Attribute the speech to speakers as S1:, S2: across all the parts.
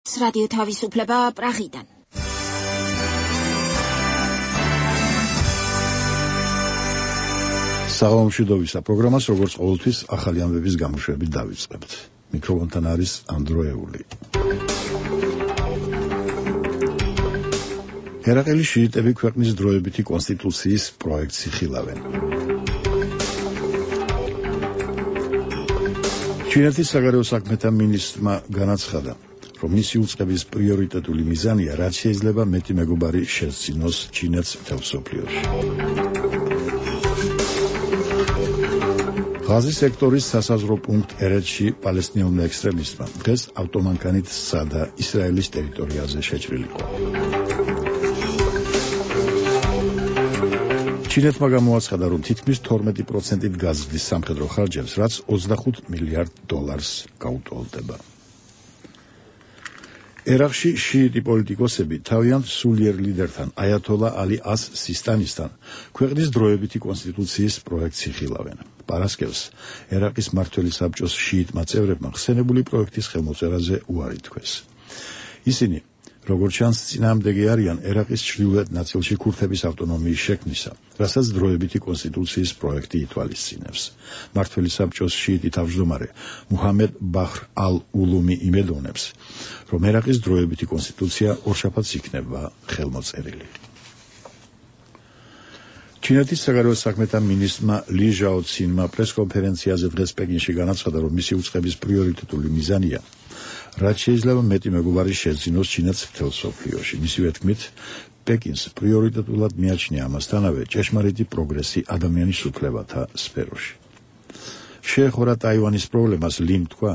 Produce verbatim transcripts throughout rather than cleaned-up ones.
S1: რადიო თავისუფლება პრაღიდან.
S2: საღამომშვიდობისა პროგრამას როგორც ყოველთვის ახალი ამბების გამოშვებით დავიწყებთ. მიკროფონთან არის ანდროეული. ერაყელის შიიტები ქვეყნის დროებითი კონსტიტუციის პროექტს იხილავენ. ჩინეთის საგარეო საქმეთა მინისტრმა განაცხადა, რომ მისი უწყების პრიორიტეტული მიზანია, რაც შეიძლება მეტი მეგობარი შესძინოს ჩინეთს მთელ მსოფლიოში. ღაზის სექტორის სასაზღვრო პუნქტ ერეთში პალესტინელმა ექსტრემისტმა დღეს ავტომანქანით სცადა ისრაელის ტერიტორიაზე შეჭრილიყო. ჩინეთმა გამოაცხადა, რომ თითქმის თორმეტი პროცენტით გაზრდის სამხედრო ხარჯებს, რაც ოცდახუთ მილიარდ დოლარს გაუტოლდება. ერაყში შიიტი პოლიტიკოსები თავიანთ სულიერ ლიდერთან აიათოლა ალი ას სისტანისთან ქვეყნის დროებითი კონსტიტუციის პროექტს იხილავენ. პარასკევს ერაყის მმართველი საბჭოს შიიტმა წევრებმა ხსენებული პროექტის ხელმოწერაზე უარი თქვეს. ისინი, როგორც ჩანს, წინააღმდეგი არიან ერაყის ჩრდილოეთ ნაწილში ქურთების ავტონომიის შექმნისა, რასაც დროებითი კონსტიტუციის პროექტი ითვალისწინებს. მმართველი საბჭოს შიიტი თავმჯდომარე მუჰამედ ბაჰრ ალ-ულუმი იმედოვნებს, რომ ერაყის დროებითი კონსტიტუცია ორშაბათს იქნება ხელმოწერილი. ჩინეთის საგარეო საქმეთა მინისტრმა ალი ჟაოცინმა პრესკონფერენციაზე დღეს პეკინში განაცხადა, რომ მისი უწყების პრიორიტეტული მიზანია, რაც შეიძლება მეტი მეგობარი შეძინოს ჩინეთს მთელ მსოფლიოში. მისივე თქმით, პეკინს პრიორიტეტულად მიაჩნია ამასთანავე ჭეშმარიტი პროგრესი ადამიანის უფლებათა სფეროში. შეეხურა ტაივანის პრობლემას, ლიმ თქვა,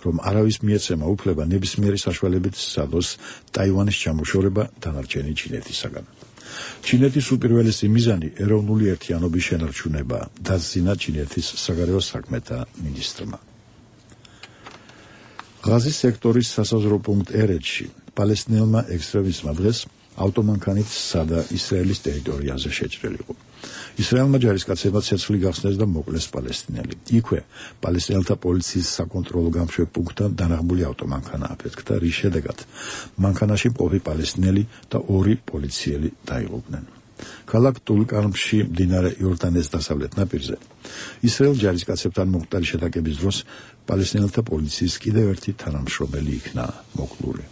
S2: რომ არავის მიეცემა უფლება ნებისმიერი საშუალებით სცადოს ტაივანის ჩამოშორება დანარჩენი ჩინეთისაგან. ჩინეთის უპირველესი მიზანი ეროვნული ერთიანობის შენარჩუნება, დასძინა ჩინეთის საგარეო საქმეთა მინისტრმა. ღაზის სექტორის სასაზღვრო პუნქტ ერეთში პალესტინელმა ექსტრემისტმა დღეს ავტომანქანით სცადა ისრაელის ტერიტორიაზე შეჭრილიყო. ისრაელმა ჯარისკაცებმა ცეცხლი გახსნეს და მოკლეს პალესტინელი. იქვე პალესტინელთა პოლიციის საკონტროლო გამშვებ პუნქტთან დანაღმული ავტომანქანა აფეთქდა, რის შედეგად მანქანაში მყოფი პალესტინელი და ორი პოლიციელი დაიღუპნენ. ქალაქ ტულკარმში, მდინარე იორდანეს დასავლეთ ნაპირზე, ისრაელ ჯარისკაცებთან მომხდარი შეტაკების დროს პალესტინელთა პოლიციის კიდევ ერთი თანამშრომელი იქნა მოკლული.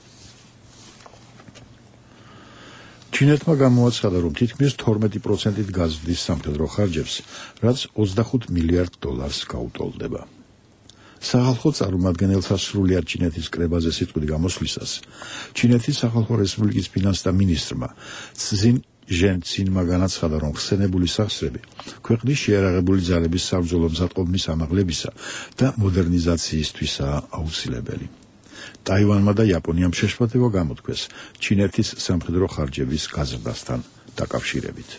S2: ჩინეთმა გამოაცხადა, რომ თითქმის თორმეტი პროცენტით გაზრდის სამხედრო ხარჯებს, რაც ოცდახუთ მილიარდ დოლარს გაუტოლდება. სახალხო წარმომადგენელთა სრულიად ჩინეთის კრებაზე სიტყვით გამოსვლისას, ჩინეთის სახალხო რესპუბლიკის ფინანსთა მინისტრმა ცზინ ჟენცინმა განაცხადა, რომ ხსენებული სახსრები ქვეყნის შეიარაღებული ძალების საბრძოლო მზადყოფნის ამაღლებისა და მოდერნიზაციისთვისაა აუცილებელი. ტაივანმა და იაპონიამ შეშფოთება გამოთქვეს ჩინეთის სამხედრო ხარჯების გაზრდასთან დაკავშირებით.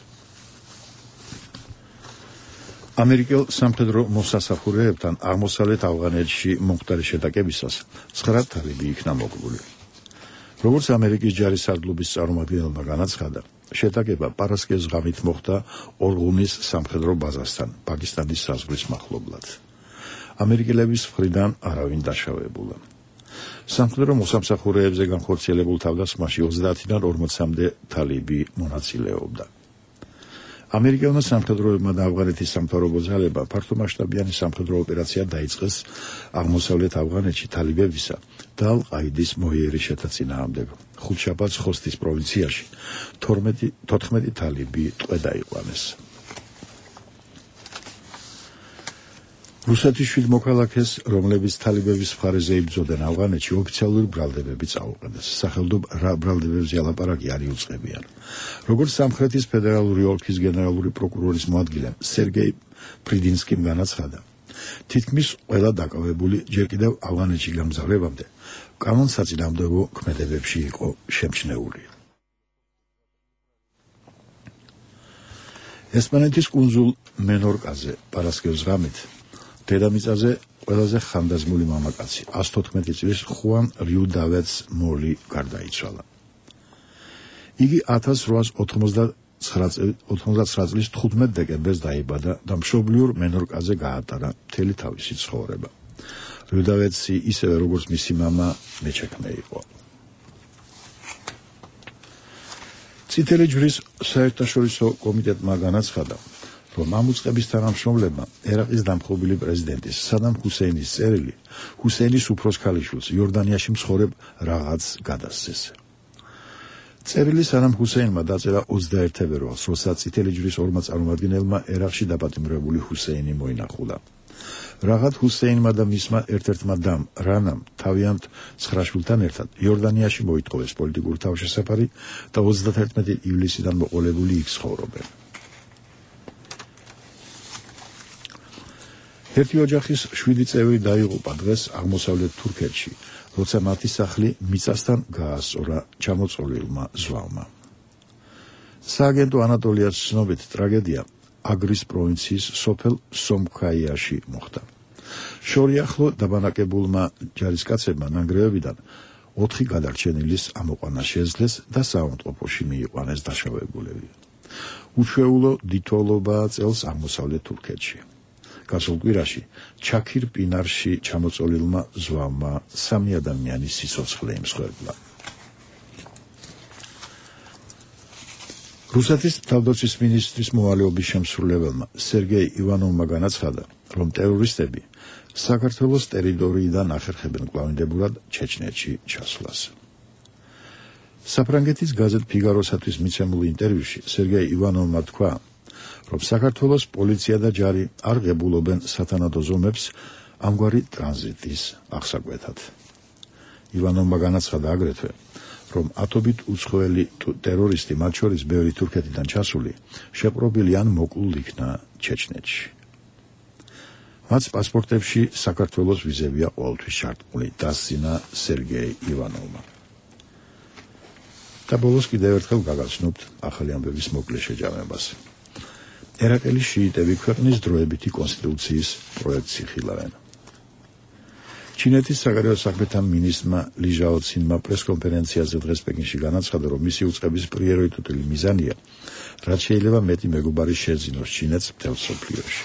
S2: ამერიკელ სამხედრო მოსასახურეებთან აღმოსავლეთ ავღანეთში მომხდარი შეტაკებისას ცხრა თალიბი იქნა მოკლული. როგორც ამერიკის ჯარის სარდლობის წარმომადგენელმა განაცხადა, შეტაკება პარასკევს ღამით მოხდა ორღუნის სამხედრო ბაზასთან, პაკისტანის საზღვრის მახლობლად. ამერიკელების მხრიდან არავინ დაშავებულა. სამხედრო მოსამსახურეებზე განხორციელებულ თავდასხმაში ოცდაათიდან ორმოცამდე თალიბი მონაწილეობდა. ამერიკელმა სამხედროებმა და ავღანეთის სამთავრობო ძალებმა ფართომასშტაბიანი სამხედრო ოპერაცია დაიწყეს აღმოსავლეთ ავღანეთში თალიბებისა და ალ-ყაიდის მოიერი შეთაწინააღმდეგ. ხუთშაბათს ხოსტის პროვინციაში თოთხმეტი თალიბი ტყვე დაიყვანეს. რუსეთის შვიდ მოქალაქეს, რომლებიც თალიბების მხარეზე იბრძოდნენ ავღანეთში, ოფიციალური ბრალდებები წაუყენეს. სახელმწიფო ბრალდებებზე ალაპარაკი არ იუწყებიან. როგორც სამხრეთის ფედერალური ოლქის გენერალური პროკურორის მოადგილემ სერგეი ფრიდინსკიმ განაცხადა, თითქმის ყველა დაკავებული ჯერ კიდევ ავღანეთში გამგზავრებამდე კანონსაწინააღმდეგო ქმედებებში იყო შემჩნეული. ესპანეთის კუნძულ მენორკაზე პარასკევს ღამით დედამიწაზე ყველაზე ხანდაზმული მამაკაცი, ას თოთხმეტი წლის ხუან რიუდავედს მოლი გარდაიცვალა. იგი ათას რვაას ოთხმოცდაცხრა წლის თხუთმეტ დეკემბერს დაიბადა და მშობლიურ მენორკაზე გაატარა მთელი თავისი ცხოვრება. რიუდავედსი ისევე როგორც მისი მამა მეჩექმე იყო. წითელი ჯვრის საერთაშორისო კომიტეტმა განაცხადა, რომ ამ უწყების თანამშრომლებმა ერაყის დამხობილი პრეზიდენტის სადამ ჰუსეინის წერილი ჰუსეინის უფროს ქალიშვილს იორდანიაში მცხოვრებ რაღაც გადასცეს. წერილი სადამ ჰუსეინმა დაწერა ოცდაერთ თებერვალს, როცა წითელი ჯვრის ორმა წარმომადგენელმა ერაყში დაპატიმრებული ჰუსეინი მოინახულა. რაღაც ჰუსეინმა და მისმა ერთ-ერთმა დამ რანამ თავიანთ ცხრა შვილთან ერთად იორდანიაში მოითხოვეს პოლიტიკური თავშესაფარი და ოცდათერთმეტი ივლისიდან მოყოლებული იქ ცხოვრობენ. ერთი ოჯახის შვიდი წევრი დაიღუპა დღეს აღმოსავლეთ თურქეთში, როცა მათი სახლი მიწასთან გაასწორა ჩამოწოლილმა ზვავმა. სააგენტო ანატოლიას ცნობით ტრაგედია აგრის პროვინციის სოფელ სომქაიაში მოხდა. შორიახლო დაბანაკებულმა ჯარისკაცებმა ნანგრევებიდან ოთხი გადარჩენილის ამოყვანა შეძლეს და საავადმყოფოში მიიყვანეს დაშავებულები. უჩვეულო დიდთვალობაა წელს აღმოსავლეთ თურქეთში. გასულ კვირაში ჩაქირ პინარში ჩამოწოლილმა ზვავმა სამი ადამიანის სიცოცხლე იმსხვერპლა. რუსეთის თავდაცვის მინისტრის მოვალეობის შემსრულებელმა სერგეი ივანოვმა განაცხადა, რომ ტერორისტები საქართველოს ტერიტორიიდან ახერხებენ კვლავინდებურად ჩეჩნეთში ჩასვლას. საფრანგეთის გაზეთ ფიგაროსათვის მიცემულ ინტერვიუში სერგეი ივანოვმა თქვა, რომ საქართველოს პოლიცია და ჯარი არ ღებულობენ სათანადო ზომებს ამგვარი ტრანზიტის აღსაკვეთად. ივანოვმა განაცხადა აგრეთვე, რომ ათობით უცხოელი ტერორისტი, მათ შორის ბევრი თურქეთიდან ჩასული, შეპყრობილი ან მოკლულ იქნა ჩეჩნეთში. მათ პასპორტებში საქართველოს ვიზებია ყოველთვის ჩართული, დასძინა სერგეი ივანოვმა. და ბოლოს კიდევ ერთხელ გაგაცნობთ ახალი ამბების მოკლე შეჯამებას. ერაყელი შიიტები ქვეყნის დროებითი კონსტიტუციის პროექტს იხილავენ. ჩინეთის საგარეო საქმეთა მინისტრმა ალი ჟაოცინმა პრესკონფერენციაზე დღეს პეკინში განაცხადა, რომ მისი უწყების პრიორიტეტული მიზანია, რაც შეიძლება მეტი მეგობარი შეძინოს ჩინეთს მთელ მსოფლიოში.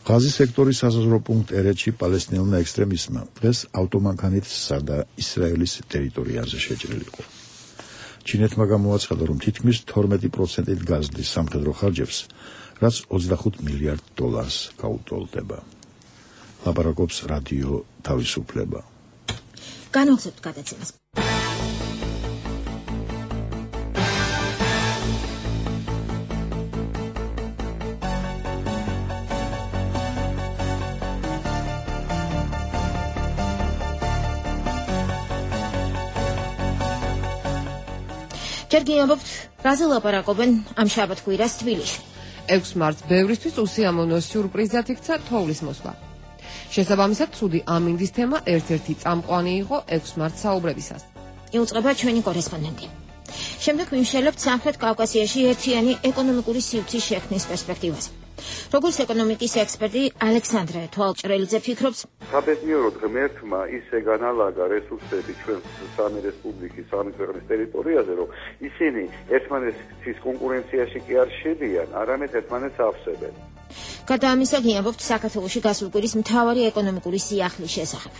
S2: ღაზის სექტორის სასაზღვრო პუნქტ ერეთში პალესტინელმა ექსტრემისტმა დღეს ავტომანქანით სცადა ისრაელის ტერიტორიაზე შეჭრილიყო. ჩინეთმა გამოაცხადა, რომ თითქმის თორმეტი პროცენტით გაზრდის სამხედრო ხარჯებს, რაც ოცდახუთ მილიარდ დოლარს გაუტოლდება. ლაპარაკობს რადიო თავისუფლება.
S1: განვაგრძობთ გადაცემას. ჯერ გიამბობთ, რაზე ლაპარაკობენ ამ შაბათ-კვირას თბილისში.
S3: ექვსი მარტს ბევრისთვის უსიამოვნო სიურპრიზად იქცა თოვლის მოსვლა. შესაბამისად, ცუდი ამინდის თემა ერთ-ერთი წამყვანი იყო ექვსი მარტს საუბრებისას.
S1: იუწყება ჩვენი კორესპონდენტი. შემდეგ ვიმშელებთ სამხრეთ კავკასიაში ერთიანი ეკონომიკური სივრცის შექმნის პერსპექტივაზე. როგორც ეკონომიკის ექსპერტი ალექსანდრე თვალჭრელიძე ფიქრობს,
S4: საბედნიეროდ ღმერთმა ისე განალაგა რესურსები ჩვენ სამი რესპუბლიკის სამი ქვეყნის ტერიტორიაზე, რომ ისინი ერთმანეთის კონკურენციაში კი არ შედიან, არამედ ერთმანეთს ავსებენ.
S1: გარდა ამისა, გიამბობთ საქართველოში გასულ კვირის მთავარი ეკონომიკური სიახლის შესახებ.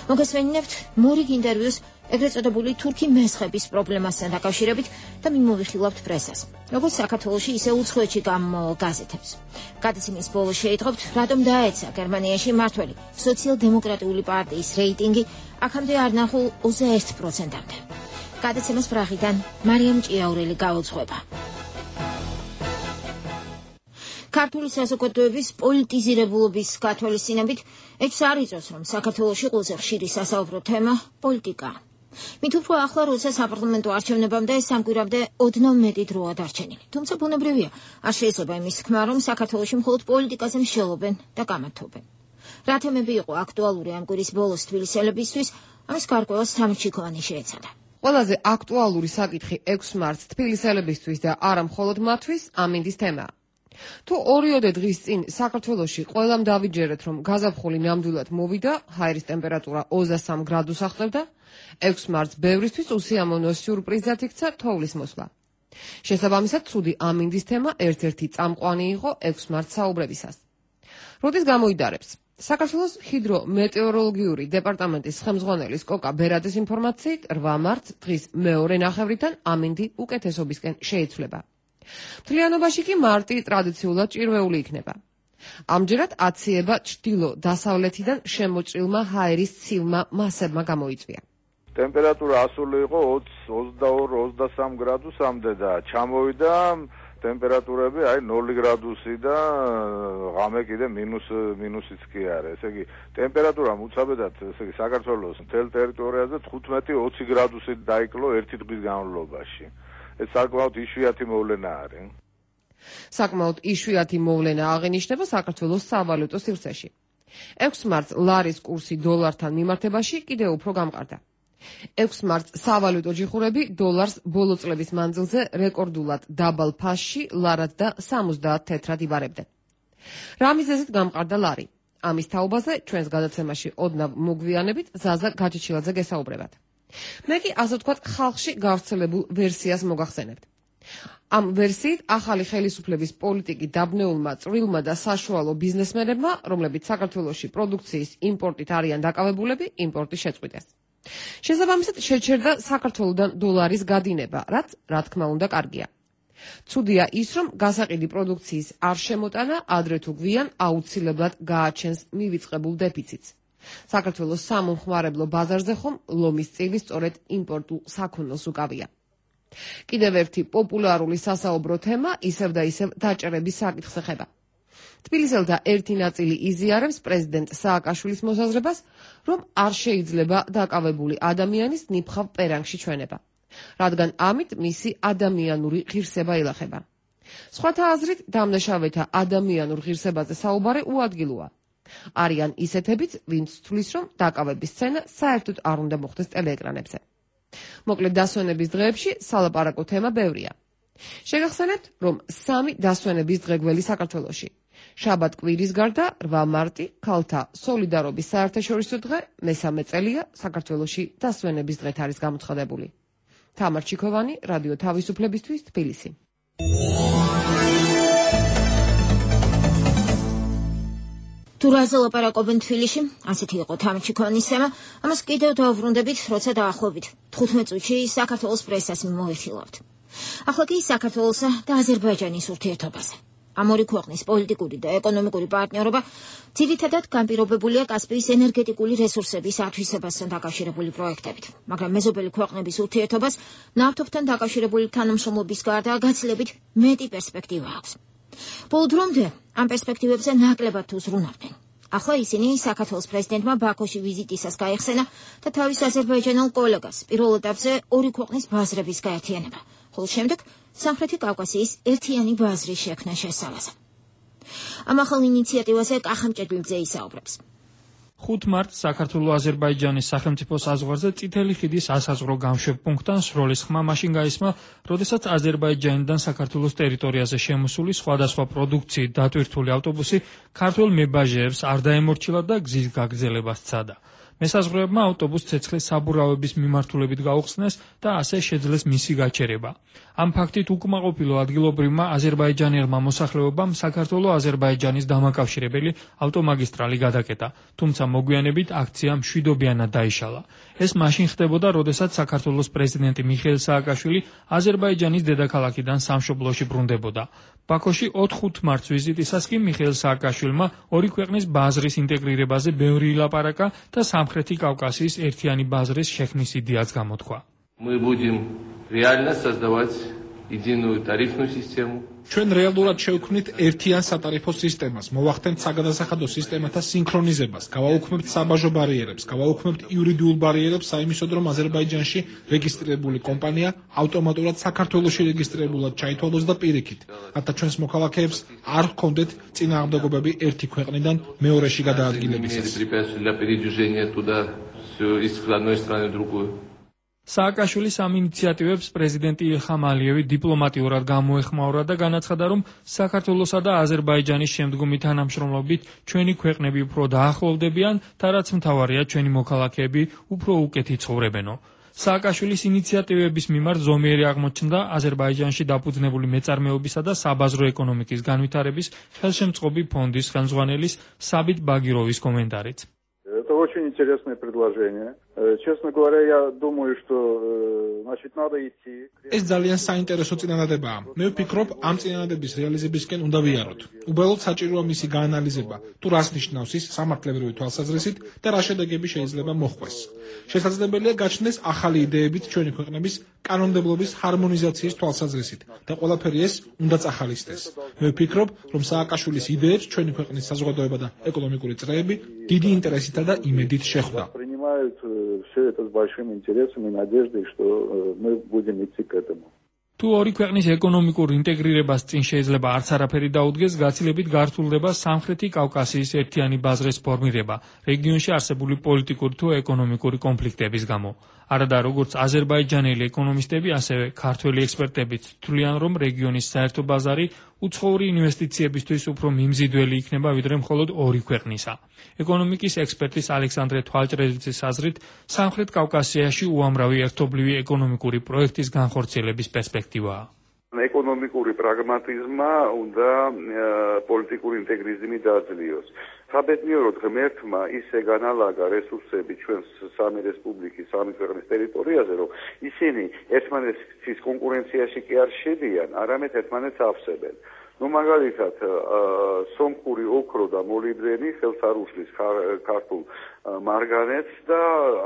S1: მოგესმენინებთ მორიგ ინტერვიუს ეგრეთ წოდებული თურქი მესხების პრობლემასთან დაკავშირებით და მიმოვიხილავთ პრესას, როგორც საქართველოში, ისე უცხოეთში გამომავალ გაზეთებს. გადაცემის ბოლოს შეიტყობთ, რატომ დაეცა გერმანიაში მმართველი სოციალ-დემოკრატიული პარტიის რეიტინგი აქამდე არ ნახულ ოცდაერთ პროცენტამდე. გადაცემას პრაღიდან მარიამ ჭიაურელი გაუძღვება. ქართული საზოგადოების პოლიტიზირებულობის გათვალისწინებით ეჭვს არ იწვევს, რომ საქართველოში ყველაზე ხშირი სასაუბრო თემა პოლიტიკაა. მით უფრო ახლა, როცა საპარლამენტო არჩევნებამდე სამკვირვამდე ოდნავ მეტი დროა დარჩენილი. თუმცა ბუნებრივია, არ შეიძლება იმის თქმა, რომ საქართველოში მხოლოდ პოლიტიკაზე მსჯელობენ და გამართობენ. რა თემები იყო აქტუალური ამ კვირის ბოლოს თბილისელებისთვის, ამის გარკვევას თამჩიქოვანი შეეცადა.
S3: ყველაზე აქტუალური საკითხი ექვსი მარტს თბილისელებისთვის და არა მხოლოდ მათთვის ამინდის თემაა. თუ ორიოდე დღის წინ საქართველოში ყველამ დავიჯერეთ, რომ გაზაფხული ნამდვილად მოვიდა, ჰაერის ტემპერატურა ოცდასამ გრადუს აღწევდა, ექვსი მარტს ბევრისთვის უსიამოვნო სიურპრიზად იქცა თოვლის მოსვლა. შესაბამისად, ცუდი ამინდის თემა ერთ-ერთი წამყვანი იყო ექვსი მარტს საუბრებისას. როდის გამოიდარებს? საქართველოს ჰიდრომეტეოროლოგიური დეპარტამენტის ხელმძღვანელის კოკა ბერაძის ინფორმაციით რვა მარტს დღის მეორე ნახევრიდან ამინდი უკეთესობისკენ შეიცვლება. მთლიანობაში კი მარტი ტრადიციულად ჭირვეული იქნება. ამჯერად აციება ჩრდილო-დასავლეთიდან შემოჭრილმა ჰაერის ცივმა მასებმა გამოიწვია.
S5: ტემპერატურა ასული იყო ოცი, ოცდაორი, ოცდასამი გრადუსამდე და ჩამოვიდა ტემპერატურები აი ნული გრადუსი და ღამე კიდე მინუს მინუსიც კი არის. ესე იგი ტემპერატურა უცაბედად ესე იგი საქართველოს მთელ ტერიტორიაზე თხუთმეტი ოცი გრადუსი დაიკლო ერთი დღის განმავლობაში. ეს საკმაოდ იშვიათი მოვლენა არის.
S3: საკმაოდ იშვიათი მოვლენა აღინიშნება საქართველოს სავალუტო სივრცეში. ექვსი მარტს ლარის კურსი დოლართან მიმართებაში კიდევ უფრო გამყარდა. ექვსი მარტს სავალუტო ჯიხურები დოლარს ბოლო წლების მანძილზე რეკორდულად დაბალ ფასში ლარად და სამოცდაათ თეთრად იბარებდნენ. რა მიზეზით გამყარდა ლარი? ამის თაობაზე ჩვენს გადაცემაში ოდნავ მოგვიანებით ზაზა გაჩეჩილაძე გესაუბრებათ. მე კი ასე ვთქვათ ხალხში გავრცელებულ ვერსიას მოგახსენებთ. ამ ვერსიით ახალი ხელისუფლების პოლიტიკი დაბნეულმა წვრილმა და საშუალო ბიზნესმენებმა, რომლებიც საქართველოში პროდუქციის იმპორტით არიან დაკავებულები, იმპორტი შეწყვიტეს. შესაბამისად შეჩერდა საქართველოდან დოლარის გადინება, რაც რა თქმა უნდა კარგია. ცუდია ის, რომ გასაყიდი პროდუქციის არ შემოტანა ადრე თუ გვიან აუცილებლად გააჩენს მივიწყებულ დეფიციტს. საქართველოს სამომხმარებლო ბაზარზე ხომ ლომის წილი სწორედ იმპორტულ საქონელს უკავია. კიდევ ერთი პოპულარული სასაუბრო თემა ისევ და ისევ დაჭერების საკითხს ეხება. თბილისელთა ერთი ნაწილი იზიარებს პრეზიდენტ სააკაშვილის მოსაზრებას, რომ არ შეიძლება დაკავებული ადამიანის ნიფხავ პერანგში ჩვენება, რადგან ამით მისი ადამიანური ღირსება ილახება. სხვათა აზრით, დამნაშავეთა ადამიანურ ღირსებაზე საუბარი უადგილოა. არიან ისეთებიც, ვინც თვლის, რომ დაკავების სცენა საერთოდ არ უნდა მოხდეს ტელეეკრანებზე. მოკლედ დასვენების დღეებში სალაპარაკო თემა ბევრია. შეგახსენებთ, რომ სამი დასვენების დღე გველი საქართველოში. შაბათ კვირის გარდა რვა მარტი ქალთა სოლიდარობის საერთაშორისო დღე, მესამე წელია საქართველოში დასვენების დღეთ არის გამოცხადებული. თამარ ჩიქოვანი, რადიო თავისუფლებისთვის, თბილისი.
S1: თუ რაზე ლაპარაკობენ თბილისში, ასეთი იყო თამარ ჩიქოვანის თემა, ამას კიდევ დავუბრუნდებით, როცა დაახლოებით თხუთმეტ წუთში საქართველოს პრესას მოვიხილავთ. ახლა კი საქართველოსა და აზერბაიჯანის ურთიერთობაზე. ამ ორი ქვეყნის პოლიტიკური და ეკონომიკური პარტნიორობა ძირითადად განპირობებულია კასპიის ენერგეტიკული რესურსების ათვისებასთან დაკავშირებული პროექტებით, მაგრამ მეზობელი ქვეყნების ურთიერთობას ნავთობთან დაკავშირებული თანამშრომლობის გარდა გაცილებით მეტი პერსპექტივა აქვს. ბოლო დრომდე ამ პერსპექტივებზე ნაკლებად უზრუნავდნენ. ახლა ისინი საქართველოს პრეზიდენტმა ბაქოში ვიზიტისას გაიხსენა და თავის აზერბაიჯანელ კოლეგას პირველ ეტაპზე ორი ქვეყნის ბაზრების გაერთიანება, ხოლო შემდეგ სამხრეთი კავკასიის ერთიანი ბაზრის შექმნა შესთავაზა. ამ ახალ ინიციატივაზე კახა მჭედლიძე ისაუბრებს.
S6: ხუთი მარტს საქართველო-აზერბაიჯანის სახელმწიფო საზღვარზე წითელი ხიდის ასაზღვრო გამშვებპუნქტთან სროლის ხმა მაშინ გაისმა, როდესაც აზერბაიჯანიდან საქართველოს ტერიტორიაზე შემოსული სხვადასხვა პროდუქციით დატვირთული ავტობუსი ქართველ მებაჟეებს არ დაემორჩილა და გზის გაგრძელება სცადა. მესაზღვრეებმა ავტობუსს ცეცხლის საბურავების მიმართულებით გაუხსნეს და ასე შეძლეს მისი გაჩერება. ამ ფაქტით უკმაყოფილო ადგილობრივმა აზერბაიჯანელმა მოსახლეობამ საქართველო-აზერბაიჯანის დამაკავშირებელი ავტომაგისტრალი გადაკეტა, თუმცა მოგვიანებით აქცია მშვიდობიანად დაიშალა. ეს მაშინ ხდებოდა, როდესაც საქართველოს პრეზიდენტი მიხეილ სააკაშვილი აზერბაიჯანის დედაქალაქიდან სამშობლოში ბრუნდებოდა. ბაქოში ოთხ მარტს ვიზიტისას კი მიხეილ სააკაშვილმა ორი ქვეყნის ბაზრის ინტეგრირებაზე ბევრი ილაპარაკა და სამხრეთი კავკასიის ერთიანი ბაზრის შექმნის იდეაც გამოთქვა.
S7: Мы будем реально создавать единую тарифную систему.
S8: ჩვენ რეალურად შევქმნით ერთიან სატარიფო სისტემას, მოვახდენთ საგადასახადო სისტემათა სინქრონიზებას, გავაუქმებთ საბაჟო ბარიერებს, გავაუქმებთ იურიდიულ ბარიერებს საიმისოდ, რომ აზერბაიჯანში რეგისტრირებული კომპანია ავტომატურად საქართველოში რეგისტრირებულად ჩაითვალოს და პირიქით, რათა ჩვენს მოქალაქეებს არ ჰქონდეთ წინააღმდეგობები ერთი ქვეყნიდან მეორეში გადაადგილებისას.
S6: სააკაშვილის ამ ინიციატივებს პრეზიდენტი ილჰამ ალიევი დიპლომატიურად გამოეხმაურა და განაცხადა, რომ საქართველოსა და აზერბაიჯანის შემდგომი თანამშრომლობით ჩვენი ქვეყნები უფრო დაახლოვდებიან და რაც მთავარია, ჩვენი მოქალაქეები უფრო უკეთი ცხოვრებენო. სააკაშვილის ინიციატივების მიმართ ზომიერი აღმოჩნდა აზერბაიჯანში დაფუძნებული მეწარმეობისა და საბაზრო ეკონომიკის განვითარების ხელშემწყობი ფონდის ხელმძღვანელის საბით ბაგიროვის კომენტარით.
S4: Это очень интересное предложение. Честно говоря, я думаю, что значит надо идти.
S8: ეს ძალიან საინტერესო წინადადებაა. მე ვფიქრობ, ამ წინადადების რეალიზებისკენ უნდა ვიაროთ. უბრალოდ საჭიროა მისი გაანალიზება, თუ რას ნიშნავს ის სამართლებრივი თვალსაზრისით და რა შედეგები შეიძლება მოჰყვეს. შესაძლებელია გაჩნდეს ახალი იდეებიც ჩვენი ქვეყნების კანონმდებლობის ჰარმონიზაციის თვალსაზრისით და ყველაფერი ეს უნდა წახალისდეს. მე ვფიქრობ, რომ სააკაშვილის იდეებს ჩვენი ქვეყნის საზოგადოება და ეკონომიკური წრეები დიდი ინტერესითა და იმედით შეხვდა.
S4: Принимают все это с большим интересом и надеждой, что мы будем идти к этому.
S6: თუ ორი ქვეყნის ეკონომიკურ ინტეგრირებას წინ შეიძლება არც არაფერი დაუდგეს, გაცილებით გართულდება სამხრეთი კავკასიის ერთიანი ბაზრის ფორმირება რეგიონში არსებული პოლიტიკური თუ ეკონომიკური კონფლიქტების გამო. არადა როგორც აზერბაიჯანელი ეკონომისტები, ასევე ქართველი ექსპერტებიც თვლიან, რომ რეგიონის საერთო ბაზარი უცხოური ინვესტიციებისთვის უფრო მიმზიდველი იქნება, ვიდრე მხოლოდ ორი ქვეყნისა. ეკონომიკის ექსპერტის ალექსანდრე თვალჭრელიძის აზრით, სამხრეთ კავკასიაში უამრავი ერთობლივი ეკონომიკური პროექტის განხორციელების პერსპექტივაა.
S4: ეკონომიკური პრაგმატიზმა უნდა პოლიტიკური ინტეგრიზმი დააძლიოს. საბედნიეროდ ღმერთმა ისე განალაგა რესურსები ჩვენ სამი რესპუბლიკის, სამი ქვეყნის ტერიტორიაზე, რომ ისინი ერთმანეთის კონკურენციაში კი არ შედიან, არამედ ერთმანეთს ავსებენ. ну მაგალითად სომხური ოქრო და მოლიბდენი ხელს არ უშლის ქართულ მარგანეცს და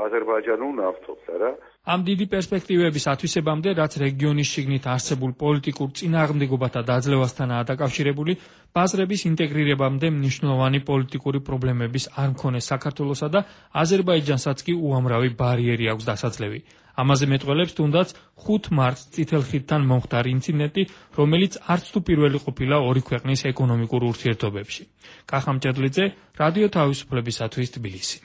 S4: აზერბაიჯანულ ნავთობს, არა?
S6: ამ დიდი პერსპექტივების ათვისებამდე, რაც რეგიონის შიგნით არსებულ პოლიტიკურ წინააღმდეგობათა დაძლევასთანაა დაკავშირებული, ბაზრების ინტეგრირებამდე მნიშვნელოვანი პოლიტიკური პრობლემების არ მქონეს საქართველოსა და აზერბაიჯანსაც კი უამრავი ბარიერი აქვს დასაძლევი. ამაზე მეტყველებს თუნდაც ხუთ მარტს წითელ ხიდთან მომხდარ ინციდენტი, რომელიც არც თუ პირველი ყოფილა ორი ქვეყნის ეკონომიკურ ურთიერთობებში. კახა მჭედლიძე, რადიო თავისუფლებისათვის თბილისი.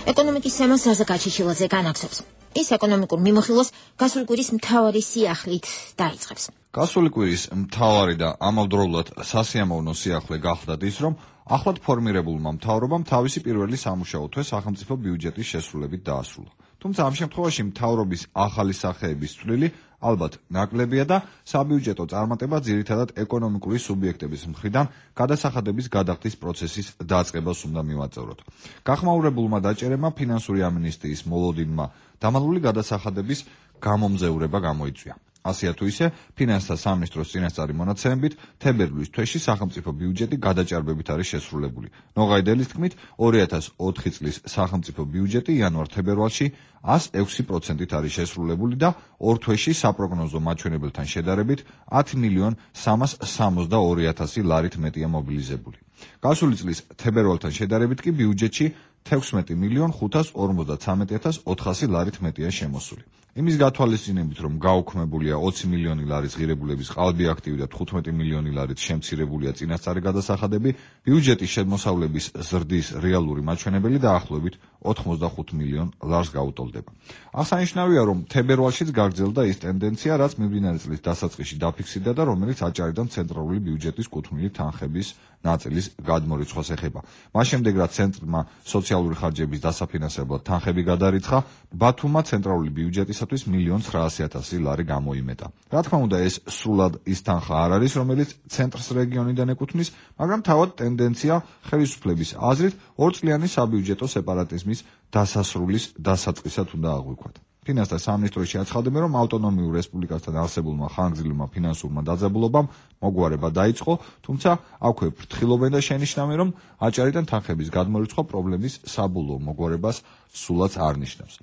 S1: ეკონომიკის თემას საზა გაჩიჩილაძე განაგზობს. ის ეკონომიკურ მიმოხილვას გასული კვირის მთავარი სიახლით დაიწყებს.
S9: გასული კვირის მთავარი და ამავდროულად სასიამოვნო სიახლე გახლდათ ის, რომ ახლად ფორმირებულმა მთავრობამ თავისი პირველი სამუშაო თვე სახელმწიფო ბიუჯეტის შესრულებით დაასრულა. თუმცა ამ შემთხვევაში მთავრობის ახალი სახეების წვლილი ალბათ ნაკლებია და საბიუჯეტო წარმატება ძირითადად ეკონომიკური სუბიექტების მხრიდან გადასახადების გადახდის პროცესის დაწყებას უნდა მივაწევროთ. გახმაურებულმა დაჭერებმა ფინანსური ამინისტიის მოლოდინმა დამალული გადასახადების გამომზეურება გამოიწვია. ასეა თუ ისე, ფინანსთა სამინისტროს წინასწარი მონაცემებით, თებერვლის თვეში სახელმწიფო ბიუჯეტი გადაჭარბებით არის შესრულებული. ნოღაიდელის თქმით, ორი ათას ოთხი წლის სახელმწიფო ბიუჯეტი იანვარ-თებერვალში ას ექვსი პროცენტით არის შესრულებული და ორ თვეში საპროგნოზო მაჩვენებელთან შედარებით ათი მილიონ სამას სამოცდაორი ათასი ლარით მეტია მობილიზებული. გასული წლის თებერვალთან შედარებით კი ბიუჯეტში თექვსმეტი მილიონ ხუთას ორმოცდათვრამეტი ათას ოთხასი ლარით მეტია შემოსული. იმის გათვალისწინებით, რომ გაუქმებულია ოცი მილიონი ლარის ღირებულების ყალბი აქტივი და თხუთმეტი მილიონი ლარით შემცირებულია წინასწარი გადასახადები, ბიუჯეტის შემოსავლების ზრდის რეალური მაჩვენებელი დაახლოებით ოთხმოცდახუთ მილიონ ლარს გაუტოლდება. აღსანიშნავია, რომ თებერვალშიც გაგრძელდა ის ტენდენცია, რაც მიმდინარე წლის დასაწყისში დაფიქსირდა და რომელიც აჭარიდან ცენტრალური ბიუჯეტის კუთვნილი თანხების ნაწილის გადმორიცხვას ეხება. მას შემდეგ, რაც ცენტრმა სოციალური ხარჯების დასაფინანსებლად თანხები გადარიცხა, ბათუმმა ცენტრალური ბიუჯეტისათვის მილიონ ცხრაასი ათასი ლარი გამოიმეტა. რა თქმა უნდა, ეს სრულად ის თანხა არ არის, რომელიც ცენტრს რეგიონიდან ეკუთვნის, მაგრამ თავად ტენდენცია ხელისუფლების აზრით ორწლიანი საბიუჯეტო სეპარატიზმის დასასრულის დასაწყისად უნდა აღვიქვათ. ფინანსთა სამინისტროში აცხადებენ, რომ ავტონომიურ რესპუბლიკასთან არსებულმა ხანგრძლივმა ფინანსურმა დაძაბულობამ მოგვარება დაიწყო, თუმცა აქვე ფრთხილობენ და შენიშნავენ, რომ აჭარიდან თანხების გადმორიცხვა პრობლემის საბოლოო მოგვარებას სულაც არ ნიშნავს.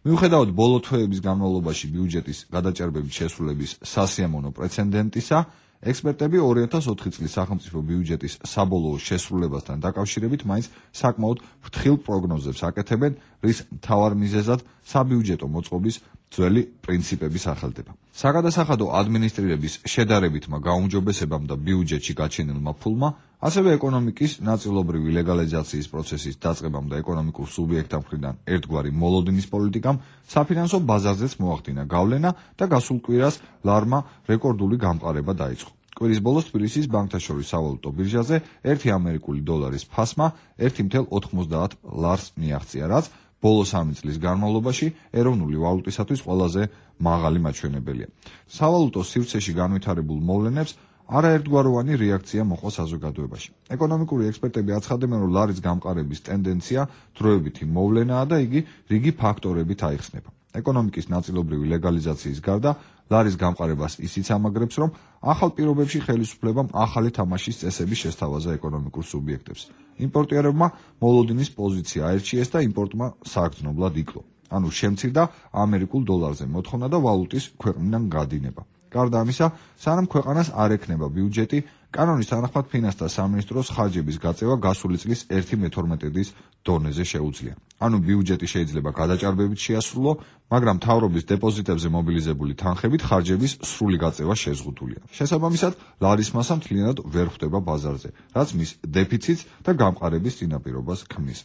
S9: მიუხედავად ბოლო თვეების განმავლობაში ბიუჯეტის გადაჭარბებით შესრულების სასიამოვნო პრეცედენტისა, ექსპერტები ორი ათას ოთხი წლის სახელმწიფო ბიუჯეტის საბოლოო შესრულებასთან დაკავშირებით მაინც საკმაოდ ფრთხილ პროგნოზებს აკეთებენ, რის მთავარ მიზეზად საბიუჯეტო მოწყობის ძველი პრინციპების სახელდება. საგადასახადო ადმინისტრირების შედარებითმა გაუმჯობესებამ და ბიუჯეტში გაჩენილმა ფულმა, ასევე ეკონომიკის ნაწილობრივი ლეგალიზაციის პროცესის დაწყებამ და ეკონომიკურ სუბიექტთა მხრიდან ერთგვარი მოლოდინის პოლიტიკამ საფინანსო ბაზარზეც მოახდინა გავლენა და გასულ კვირას ლარმა რეკორდული გამყარება დაიწყო. კვირის ბოლოს თბილისის ბანკთა შორის სავალუტო ბირჟაზე ერთი ამერიკული დოლარის ფასმა ერთი ათეული ოცდაათი ლარს მიაღწია, რაც ბოლო სამი წლის განმავლობაში ეროვნული ვალუტისათვის ყველაზე მაღალი მაჩვენებელია. სავალუტო სივრცეში განვითარებულ მოვლენებს არაერთგვაროვანი რეაქცია მოყვა საზოგადოებაში. ეკონომიკური ექსპერტები აცხადებენ, რომ ლარის გამყარების ტენდენცია დროებითი მოვლენაა და იგი რიგი ფაქტორებით აიხსნება. ეკონომიკის ნაწილობრივი ლეგალიზაციის გარდა ლარის გამყარებას ისიც ამაგრებს, რომ ახალ პირობებში ხელისუფლებამ ახალი თამაშის წესების შესთავაზა ეკონომიკურ სუბიექტებს. იმპორტიერებმა მოლოდინის პოზიცია აერჩიეს და იმპორტმა სააგრძნობლად იკლო. ანუ შემცირდა ამერიკულ დოლარზე მოთხოვნა და ვალუტის ქვეყნიდან გადინება. გარდა ამისა, სანამ ქვეყანას არ ექნება ბიუჯეტი, კანონის თანახმად ფინანსთა სამინისტროს ხარჯების გაწევა გასული წლის ერთი მეთორმეტედის დონეზე შეუძლია. ანუ ბიუჯეტი შეიძლება გადაჭარბებით შეასრულო, მაგრამ მთავრობის დეპოზიტებზე მობილიზებული თანხებით ხარჯების სრული გაწევა შეზღუდულია. შესაბამისად, ლარის მასა მთლიანად ვერ ხვდება ბაზარზე, რაც მის დეფიციტს და გამყარების წინაპირობას ქმნის.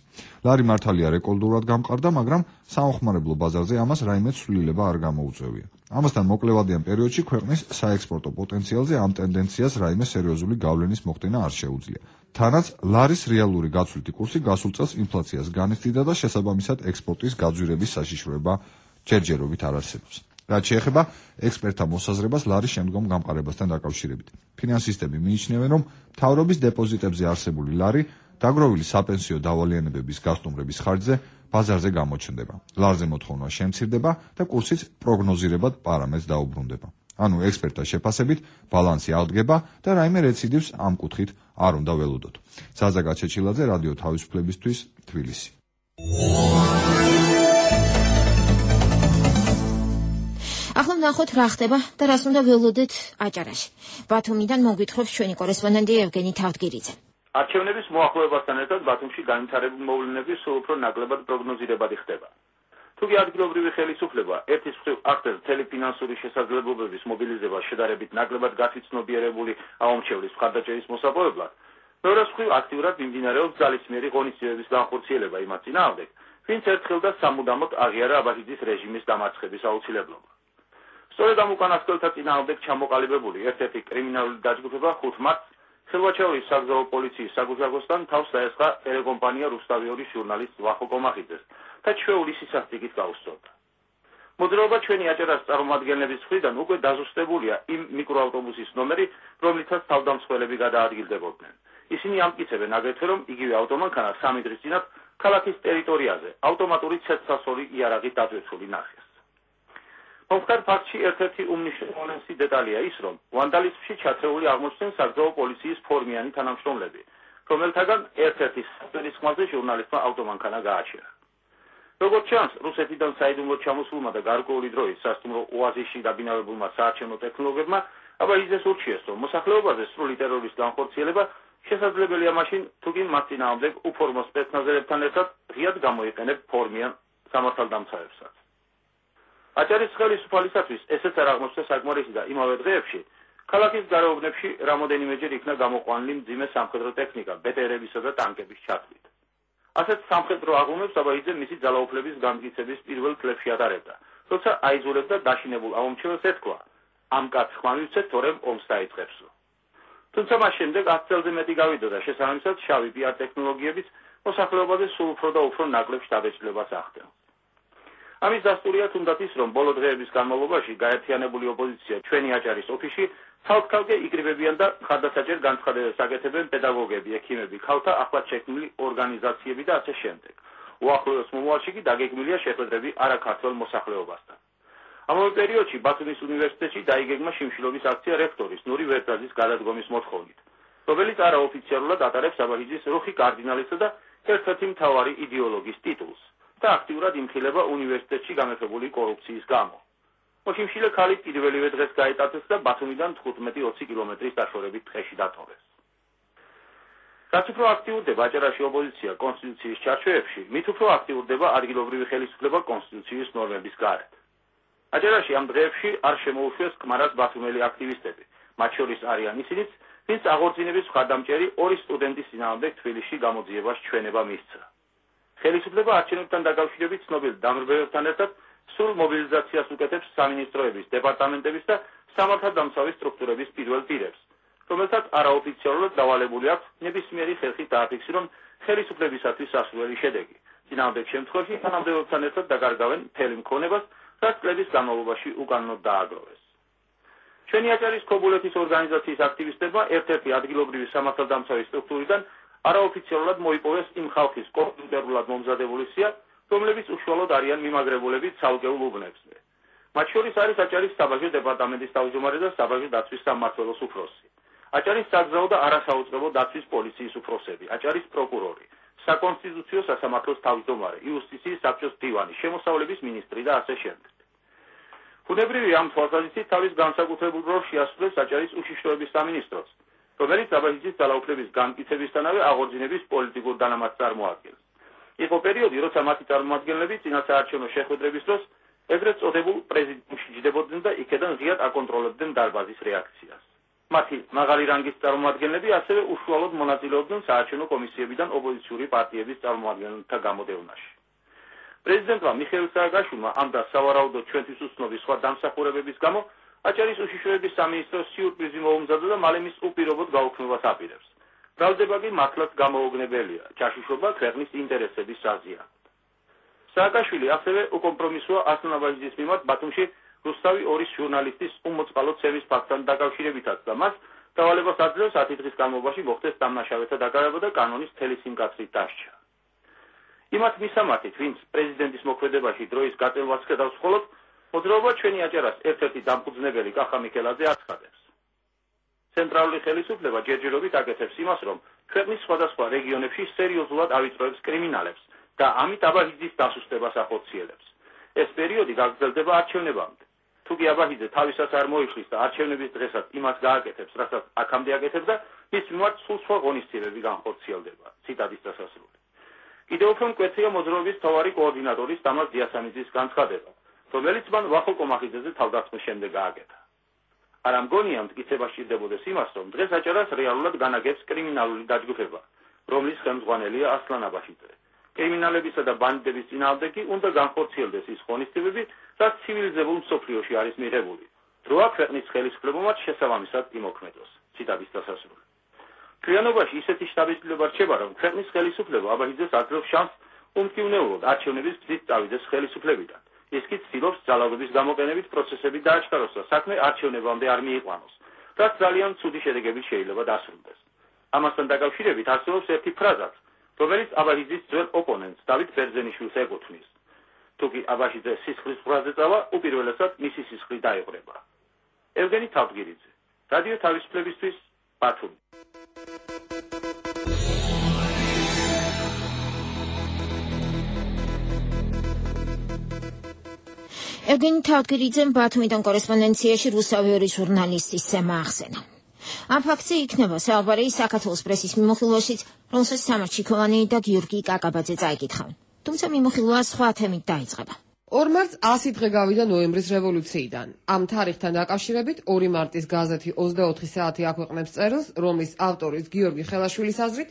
S9: ლარი მართალია რეკორდულად გამყარდა, მაგრამ საომხმარებლო ბაზარზე ამას რაიმე ცვლილება არ გამოუწევია. ამასთან მოკლევადიან პერიოდში ქვეყნის საექსპორტო პოტენციალზე ამ ტენდენციას რაიმე სერიოზული გავლენის მოხდენა არ შეუძლია. თანაც ლარის რეალური გაცვლითი კურსი გასულ წელს ინფლაციას განიცდიდა და შესაბამისად ექსპორტის გაძვირების საშიშროება ჯერჯერობით არ არსებობს. რაც შეეხება ექსპერტთა მოსაზრებას ლარის შემდგომ გამყარებასთან დაკავშირებით. ფინანსისტები მიიჩნევენ, რომ მთავრობის დეპოზიტებზე არსებული ლარი დაგროვილი საპენსიო დავალიანებების გასტუმრების ხარჯზე ბაზარზე გამოჩნდება. ლარზე მოთხოვნა შემცირდება და კურსიც პროგნოზირებად პარამეტრს დაუბრუნდება. ანუ ექსპერტთა შეფასებით ბალანსი აღდგება და რაიმე რეციდივს ამ კუთხით არ უნდა ველოდოთ. ზაზა გაჩეჩილაძე, რადიო თავისუფლებისთვის, თბილისი.
S1: ახლა ვნახოთ რა ხდება და რას უნდა ველოდეთ აჭარაში. ბათუმიდან მოგვითხრობს ჩვენი კორესპონდენტი ევგენი თავდგირიძე.
S10: არჩევნების მოახლოებასთან ერთად ბათუმში განვითარებული მოვლენები სულ უფრო ნაკლებად პროგნოზირებადი ხდება. თუკი ადგილობრივი ხელისუფლება ერთის მხრივ ახდენს მთელი ფინანსური შესაძლებლობების მობილიზებას შედარებით ნაკლებად გათვითცნობიერებული აუმჩევლის მხარდაჭერის მოსაპოვებლად, მეორეს მხრივ აქტიურად მიმდინარეობს ძალისმიერი ღონისძიებების განხორციელება იმათ წინააღმდეგ, ვინც ერთხელ და სამუდამოდ აღიარა აბაშიძის რეჟიმის დამარცხების აუცილებლობა. სწორედ ამ უკანასკნელთა წინააღმდეგ ჩამოყალიბებული ერთ-ერთი კრიმინალური დაჯგუფება ხუთ მარტს ხელვაჩაურის საგზაო პოლიციის საგუშაგოსთან თავს დაესხა ტელეკომპანია რუსთავიორის ჟურნალისტ ვახო კომახიძეს და ჩვეული სისასტიკით გაუსწორდა. მოძრაობა ჩვენი აჭარას წარმომადგენლების მხრიდან უკვე დაზუსტებულია იმ მიკროავტობუსის ნომერი, რომლითაც თავდამსხმელები გადაადგილდებოდნენ. ისინი ამტკიცებენ აგრეთვე, რომ იგივე ავტომანქანა სამი დღის წინათ ქალაქის ტერიტორიაზე ავტომატური ცეცხლსასროლი იარაღით დატვირთული ნახეს. მომხდარ ფაქტში ერთ-ერთი უმნიშვნელოვანესი დეტალია ის, რომ ვანდალიზმში ჩათრეული აღმოჩნდნენ საგზაო პოლიციის ფორმიანი თანამშრომლები, რომელთაგან ერთ-ერთი საფრთხის ხმაზე ჟურნალისტმა ავტომანქანა გააჩერა. როგორც ჩანს, რუსეთიდან საიდუმლოდ ჩამოსულმა და გარკვეული დროის სასტუმრო ოაზისში დაბინავებულმა საარჩევნო ტექნოლოგებმა აბაშიძეს ურჩიეს, რომ მოსახლეობაზე სრული ტერორის განხორციელება შესაძლებელია მაშინ, თუკი მათ წინააღმდეგ უფორმო სპეცნაზერებთან ერთად ღიად გამოიყენებ ფორმიან სამართალდამცავებსაც. აჭარის ხელისუფალისათვის ესეც არ აღმოჩნდა საკმარისი და იმავე დღეებში ქალაქის გარეუბნებში რამოდენიმეჯერ იქნა გამოყვანილი მძიმე სამხედრო ტექნიკა, ბეტერებისა და ტანკების ჩათვლით. ასეთ სამხედრო აღლუმებს აბაშიძე მისი ძალაუფლების განმტკიცების პირველ წლებში ატარებდა, როცა აიძულებდა დაშინებულ აუმჩეველს ეთქვა, ამ კაცს ხმამივცეთ, თორემ ომს დაიწყებსო. თუმცა მას შემდეგ ათ წელზე მეტი გავიდა და შესაბამისად შავი პიარ ტექნოლოგიებიც მოსახლეობაზე სულ უფრო და უფრო ნაკლებ შთაბეჭდილებას ახდენს. ამის დასტურია თუნდაც ის, რომ ბოლო დღეების განმავლობაში გაერთიანებული ოპოზიცია ჩვენი აჭარის ოფისში ცალ-ცალკე იკრიბებიან და ხარდასაჭერ განცხადებებს აკეთებენ პედაგოგები, ექიმები, ქალთა ახლად შექმნილი ორგანიზაციები და ასე შემდეგ. უახლოეს მომავალში კი დაგეგმილია შეხვედრები არაქართველ მოსახლეობასთან. ამავე პერიოდში ბათუმის უნივერსიტეტში დაიგეგმა შიმშილობის აქცია რექტორის ნური ვერტაძის გადადგომის მოთხოვნით, რომელიც არაოფიციალურად ატარებს აბაშიძის რუხი კარდინალისა და ერთ-ერთი მთავარი იდეოლოგის ტიტულს და აქტიურად იმხილება უნივერსიტეტში გამეფებული კორუფციის გამო. მოშიმშილე ქალი პირველივე დღეს გაეტაცეს და ბათუმიდან თხუთმეტი ოცი კილომეტრის დაშორებით ტყეში დატოვეს. რაც უფრო აქტიურდება აჭარაში ოპოზიცია კონსტიტუციის ჩარჩოებში, მით უფრო აქტიურდება ადგილობრივი ხელისუფლება კონსტიტუციის ნორმების გარეთ. აჭარაში ამ დღეებში არ შემოუშვეს კმარას ბათუმელი აქტივისტები. მათ შორის არიან ისინიც, ვინც აღორძინების მხარდამჭერი ორი სტუდენტის წინააღმდეგ თბილისში გამოძიებას ჩვენება მისცა. ხელისუფლება არჩევნებთან დაკავშირებით ცნობილ დამრბევებთან ერთად სრულ მობილიზაციას უკეთებს სამინისტროების, დეპარტამენტების და სამართალდამცავი სტრუქტურების პირველ პირებს, რომელთაც არაოფიციალურად დავალებული აქვს ნებისმიერი ხერხით დააფიქსირონ ხელისუფლებისათვის სასურველი შედეგი. წინააღმდეგ შემთხვევაში თანამდებობთან ერთად დაკარგავენ მთელი მქონებას, რაც წლების განმავლობაში უკანონოდ დააგროვეს. ჩვენი აჭარის ქობულეთის ორგანიზაციის აქტივისტებმა ერთ-ერთი ადგილობრივი სამართალდამცავი სტრუქტურიდან არაოფიციალურად მოიპოვეს იმ ხალხის კომპიუტერულად მომზადებული სია, რომლებიც უშუალოდ არიან მიმაგრებულები ცალკეულ უბნებზე. მათ შორის არის აჭარის საბაჟო დეპარტამენტის თავმჯდომარე და საბაჟო დაცვის სამმართველოს უფროსი, აჭარის საგზაო და არასაუწყებო დაცვის პოლიციის უფროსები, აჭარის პროკურორი, საკონსტიტუციო სასამართლოს თავმჯდომარე, იუსტიციის საბჭოს მდივანი, შემოსავლების მინისტრი და ასე შემდეგ. ბუნებრივი ამ თვალსაზრისით თავის განსაკუთრებულ როლს შეასრულებს აჭარის უშიშროების სამინისტროს, რომელიც აბაზიძის ძალაუფლების განმტკიცებისთანავე აღორძინების პოლიტიკურ დანამატს წარმოადგენს. იყო პერიოდი, როცა მათი წარმომადგენლები წინასაარჩევნო შეხვედრების დროს ეგრეთ წოდებულ პრეზიდენტში ჯდებოდნენ და იქედან ღიად აკონტროლებდნენ დარბაზის რეაქციას. მათი მაღალი რანგის წარმომადგენლები ასევე უშუალოდ მონაწილეობდნენ საარჩევნო კომისიებიდან ოპოზიციური პარტიების წარმომადგენელთა გამოდევნაში. პრეზიდენტმა მიხეილ სააკაშვილმა ამ და სავარაუდოდ ჩვენთვის უცნობი სხვა დამსახურებების გამო აჭარის უშიშროების სამინისტროს სიურპრიზი მოუმზადა და მალე მის უპირობოდ გაუქმებას აპირებს. ბრალდება კი მართლაც გამოუგნებელია, ჯაშუშობა ქვეყნის ინტერესების საზიანოდ. სააკაშვილი ასევე უკომპრომისოა ასლან აბაზიძის მიმართ ბათუმში რუსთავი ორის ჟურნალისტის უმოწყალო ცემის ფაქტთან დაკავშირებითაც და მას დავალებას აძლევს ათი დღის განმავლობაში მოხდეს დამნაშავეთა დაკარგვა და კანონის მთელი სიმკაცრით დასჯა. იმათ მისამართით, ვინც პრეზიდენტის მოქმედებაში დროის გაწევას ხედავს მხოლოდ, მოძრაობა ჩვენი აჭარას ერთ-ერთი დამფუძნებელი კახა მიქელაძე აცხადებს. ცენტრალური ხელისუფლება ჯერჯერობით აკეთებს იმას, რომ ქვეყნის სხვადასხვა რეგიონებში სერიოზულად ავიწროებს კრიმინალებს და ამით აბაზიძის დასუსტებას ახორციელებს. ეს პერიოდი გაგრძელდება არჩევნებამდე. თუ კი აბაზიძე თავისას არ მოიხლის და არჩევნების დღესაც იმას გააკეთებს, რასაც აქამდე აკეთებდა, მის მიმართ სულ სხვა ღონისძიებები განხორციელდება. ციტატის დასასრული. კიდევ უფრო მკვეთრია მოძრაობის მთავარი კოორდინატორის თამაზ დიასამიძის განცხადება, რომელიც მან ვახო კომახიძეზე თავდასხმის შემდეგ გააკეთა. არ ამგონია მტკიცება სჭირდებოდეს იმას, რომ დღეს აჭარას რეალურად განაგებს კრიმინალური დაჯგუფება, რომლის ხელმძღვანელია ასლან აბაშიძე. კრიმინალებისა და ბანდიტების წინააღმდეგ კი უნდა განხორციელდეს ის ღონისძიებები, რაც ცივილიზებულ მსოფლიოში არის მიღებული. დროა ქვეყნის ხელისუფლებამ შესაბამისად იმოქმედოს. ციტატის დასასრული. მთლიანობაში ისეთი შთაბეჭდილება რჩება, რომ ქვეყნის ხელისუფლება აბაზიძეს აძლევს შანსს უმტკივნეულოდ არჩევნების გზით წავიდეს ხელისუფლებიდან. ის კი ცდილობს ძალადობის გამოყენებით პროცესები დააჩქაროს და საქმე არჩევნებამდე არ მიიყვანოს, რაც ძალიან ცუდი შედეგებით შეიძლება დასრულდეს. ამასთან დაკავშირებით არსებობს ერთი ფრაზაც, რომელიც აბაზიძის ძველ ოპონენტს დავით ბერძენიშვილს ეკუთვნის. თუ კი აბაზიძე სისხლის ყურაზე წავა, უპირველესად მისი სისხლი დაიყრება. ევგენი თავდგირიძე, რადიო თავისუფლებისთვის, ბათუმი.
S1: ევგენი თავდგირიძემ ბათუმიდან კორესპონდენციაში რუსთავი ორის ჟურნალისტის ცემა ახსენა. ამ ფაქტზე იქნება საუბარი საქართველოს პრესის მიმოხილვაშიც, რომელსაც სამართ შიქოვანი და გიორგი კაკაბაძე წაიკითხავენ. თუმცა მიმოხილვა სხვა თემით დაიწყება.
S3: ორ მარტს ასი დღე გავიდა ნოემბრის რევოლუციიდან. ამ თარიღთან დაკავშირებით ორი მარტის გაზეთი ოცდაოთხი საათი აქვეყნებს წერილს, რომლის ავტორის გიორგი ხელაშვილის აზრით,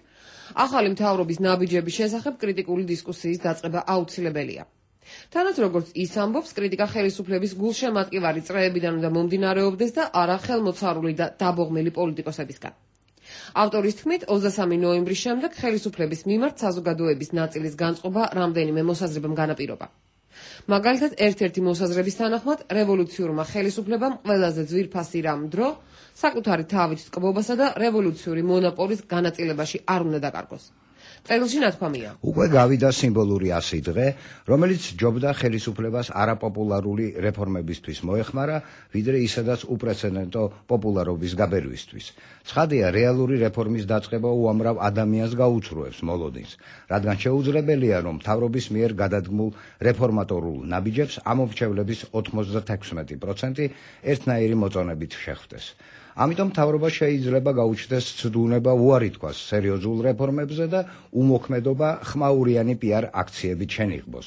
S3: ახალი მთავრობის ნაბიჯების შესახებ კრიტიკული დისკუსიის დაწყება აუცილებელია. თანაც როგორც ის ამბობს, კრიტიკა ხელისუფლების გულშემატკივარი წრეებიდან უნდა მომდინარეობდეს და არა ხელმოცარული და დაბოღმელი პოლიტიკოსებისგან. ავტორის თქმით, ოცდასამი ნოემბრის შემდეგ ხელისუფლების მიმართ საზოგადოების ნაწილის განწყობა რამდენიმე მოსაზრებამ განაპირობა. მაგალითად, ერთ-ერთი მოსაზრების თანახმად, რევოლუციურმა ხელისუფლებამ ყველაზე ძვირფასი რამ დრო საკუთარი თავით ტკბობასა და რევოლუციური მონოპოლის განაწილებაში არ უნდა დაკარგოს. წერილში ნათქვამია.
S11: უკვე გავიდა სიმბოლური ასი დღე, რომელიც ჯობდა ხელისუფლებას არაპოპულარული რეფორმებისთვის მოეხმარა, ვიდრე ისედაც უპრეცედენტო პოპულარობის გაბერვისთვის. ცხადია, რეალური რეფორმის დაწყება უამრავ ადამიანს გაუცრუებს მოლოდინს, რადგან შეუძლებელია, რომ მთავრობის მიერ გადადგმულ რეფორმატორულ ნაბიჯებს ამომრჩევლების ოთხმოცდათექვსმეტი პროცენტი ერთნაირი მოწონებით შეხვდეს. ამიტომ მთავრობა შეიძლება გაუჩნდეს ცდუნება უარი თქვას სერიოზულ რეფორმებზე და უმოქმედობა ხმაურიანი პიარ აქციებით შენიღბოს.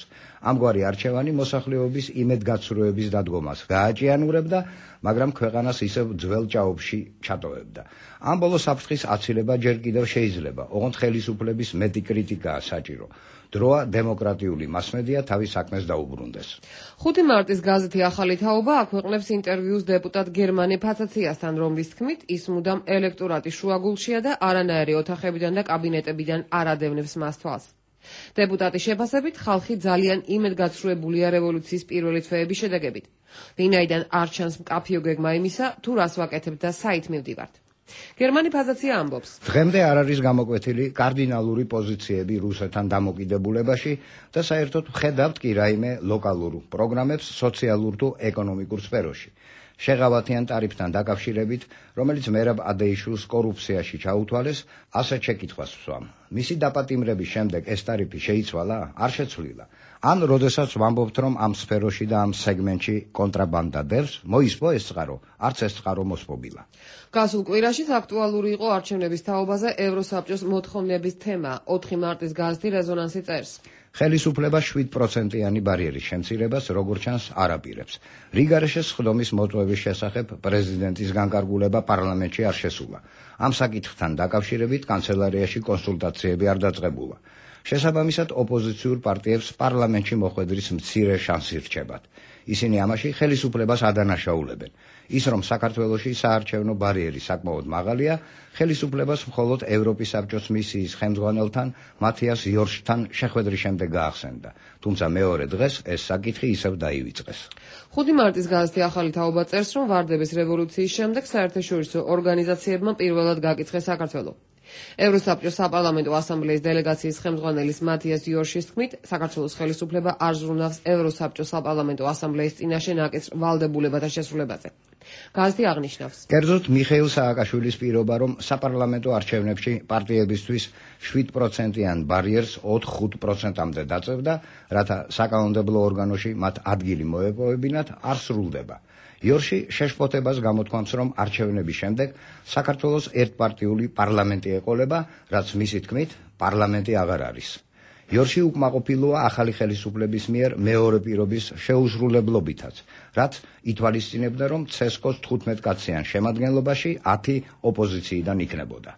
S11: ამგვარი არჩევანი მოსახლეობის იმედგაცრუების დადგომას გააჭიანურებდა, მაგრამ ქვეყანას ისევ ძველ ჭაობში ჩატოვებდა. ამ ბოლო საფრთხის აცილება ჯერ კიდევ შეიძლება, ოღონდ ხელისუფლების მეტი კრიტიკაა საჭირო. დროა დემოკრატიული მასმედია თავის საქმეს დაუბრუნდეს.
S3: ხუთი მარტის გაზეთი ახალი თაობა აქვეყნებს ინტერვიუს დეპუტატ გერმანე ფაცაციასთან, რომლის თქმით, ის მუდამ ელექტორატის შუაგულშია და არანაირი ოთახებიდან და კაბინეტებიდან არ ადევნებს მას თვალს. დეპუტატის შეფასებით, ხალხი ძალიან იმედგაცრუებულია რევოლუციის პირველი თვეების შედეგებით. ვინაიდან არ ჩანს მკაფიო გეგმა იმისა, თუ რას ვაკეთებთ და საით მივდივართ. გერმანე ფაზაცია ამბობს.
S11: დღემდე არ არის გამოკვეთილი კარდინალური პოზიციები რუსეთთან დამოკიდებულებაში და საერთოდ ვხედავთ კი რაიმე ლოკალურ პროგრამებს სოციალურ თუ ეკონომიკურ სფეროში. შეღავათიან ტარიფთან დაკავშირებით, რომელიც მერაბ ადეიშვილს კორუფციაში ჩაუთვალეს, ასეთ შეკითხვას ვსვამ. მისი დაპატიმრების შემდეგ ეს ტარიფი შეიცვალა? არ შეცვლილა. ან როდესაც ვამბობთ, რომ ამ სფეროში და ამ სეგმენტში კონტრაბანდა დევს, მოისპო ეს წყარო, არც ეს წყარო მოსპობილა.
S3: გასულ კვირაში აქტუალური იყო არჩევნების თაობაზე ევროსაბჭოს მოთხოვნების თემა. ოთხი მარტის გაზეთი რეზონანსი წერს.
S11: ხელისუფლება შვიდ პროცენტიანი ბარიერის შემცირებას როგორც ჩანს არ აპირებს. რიგარეშეს ხდომის მოტყუების შესახებ პრეზიდენტის განკარგულება პარლამენტში არ შესულა. ამ საკითხთან დაკავშირებით კანცელარიაში კონსულტაციები არ დაწყებულა. შესაბამისად ოპოზიციურ პარტიებს პარლამენტში მოხვედრის მცირე შანსი რჩებათ. ისინი ამაში ხელისუფლებას ადანაშაულებენ. ის რომ საქართველოში საარჩევნო ბარიერი საკმაოდ მაღალია, ხელისუფლებას მხოლოდ ევროპის საბჭოს მისიის ხელმძღვანელთან მათიას იორშთან შეხვედრის შემდეგ გაახსენდა. თუმცა მეორე დღეს ეს საკითხი ისევ დაივიწყეს.
S3: ხუთი მარტის გაზეთი ახალი თაობა წერს, რომ ვარდების რევოლუციის შემდეგ საერთაშორისო ორგანიზაციებმა პირველად გაკიცხეს საქართველო. ევროსაბჭოს საპარლამენტო ასამბლეის დელეგაციის ხელმძღვანელის მათიას იორშის თქმით, საქართველოს ხელისუფლება არ ზრუნავს ევროსაბჭოს საპარლამენტო ასამბლეის წინაშე ნაკისრ ვალდებულებათა შესრულებაზე. გაზეთი აღნიშნავს.
S11: კერძოდ მიხეილ სააკაშვილის პირობა, რომ საპარლამენტო არჩევნებში პარტიებისთვის შვიდ პროცენტიან ბარიერს ოთხ-ხუთ პროცენტამდე დაწევდა, რათა საკანონმდებლო ორგანოში მათ ადგილი მოეპოვებინათ, არ სრულდება. იორში შეშფოთებას გამოთქვამს, რომ არჩევნების შემდეგ საქართველოს ერთპარტიული პარლამენტი ეყოლება, რაც მისი თქმით, პარლამენტი აღარ არის. იორში უკმაყოფილოა ახალი ხელისუფლების მიერ მეორე პირობის შეუსრულებლობითაც, რაც ითვალისწინებდა, რომ ცესკოს თხუთმეტ-კაციან შემადგენლობაში ათი ოპოზიციიდან იქნებოდა.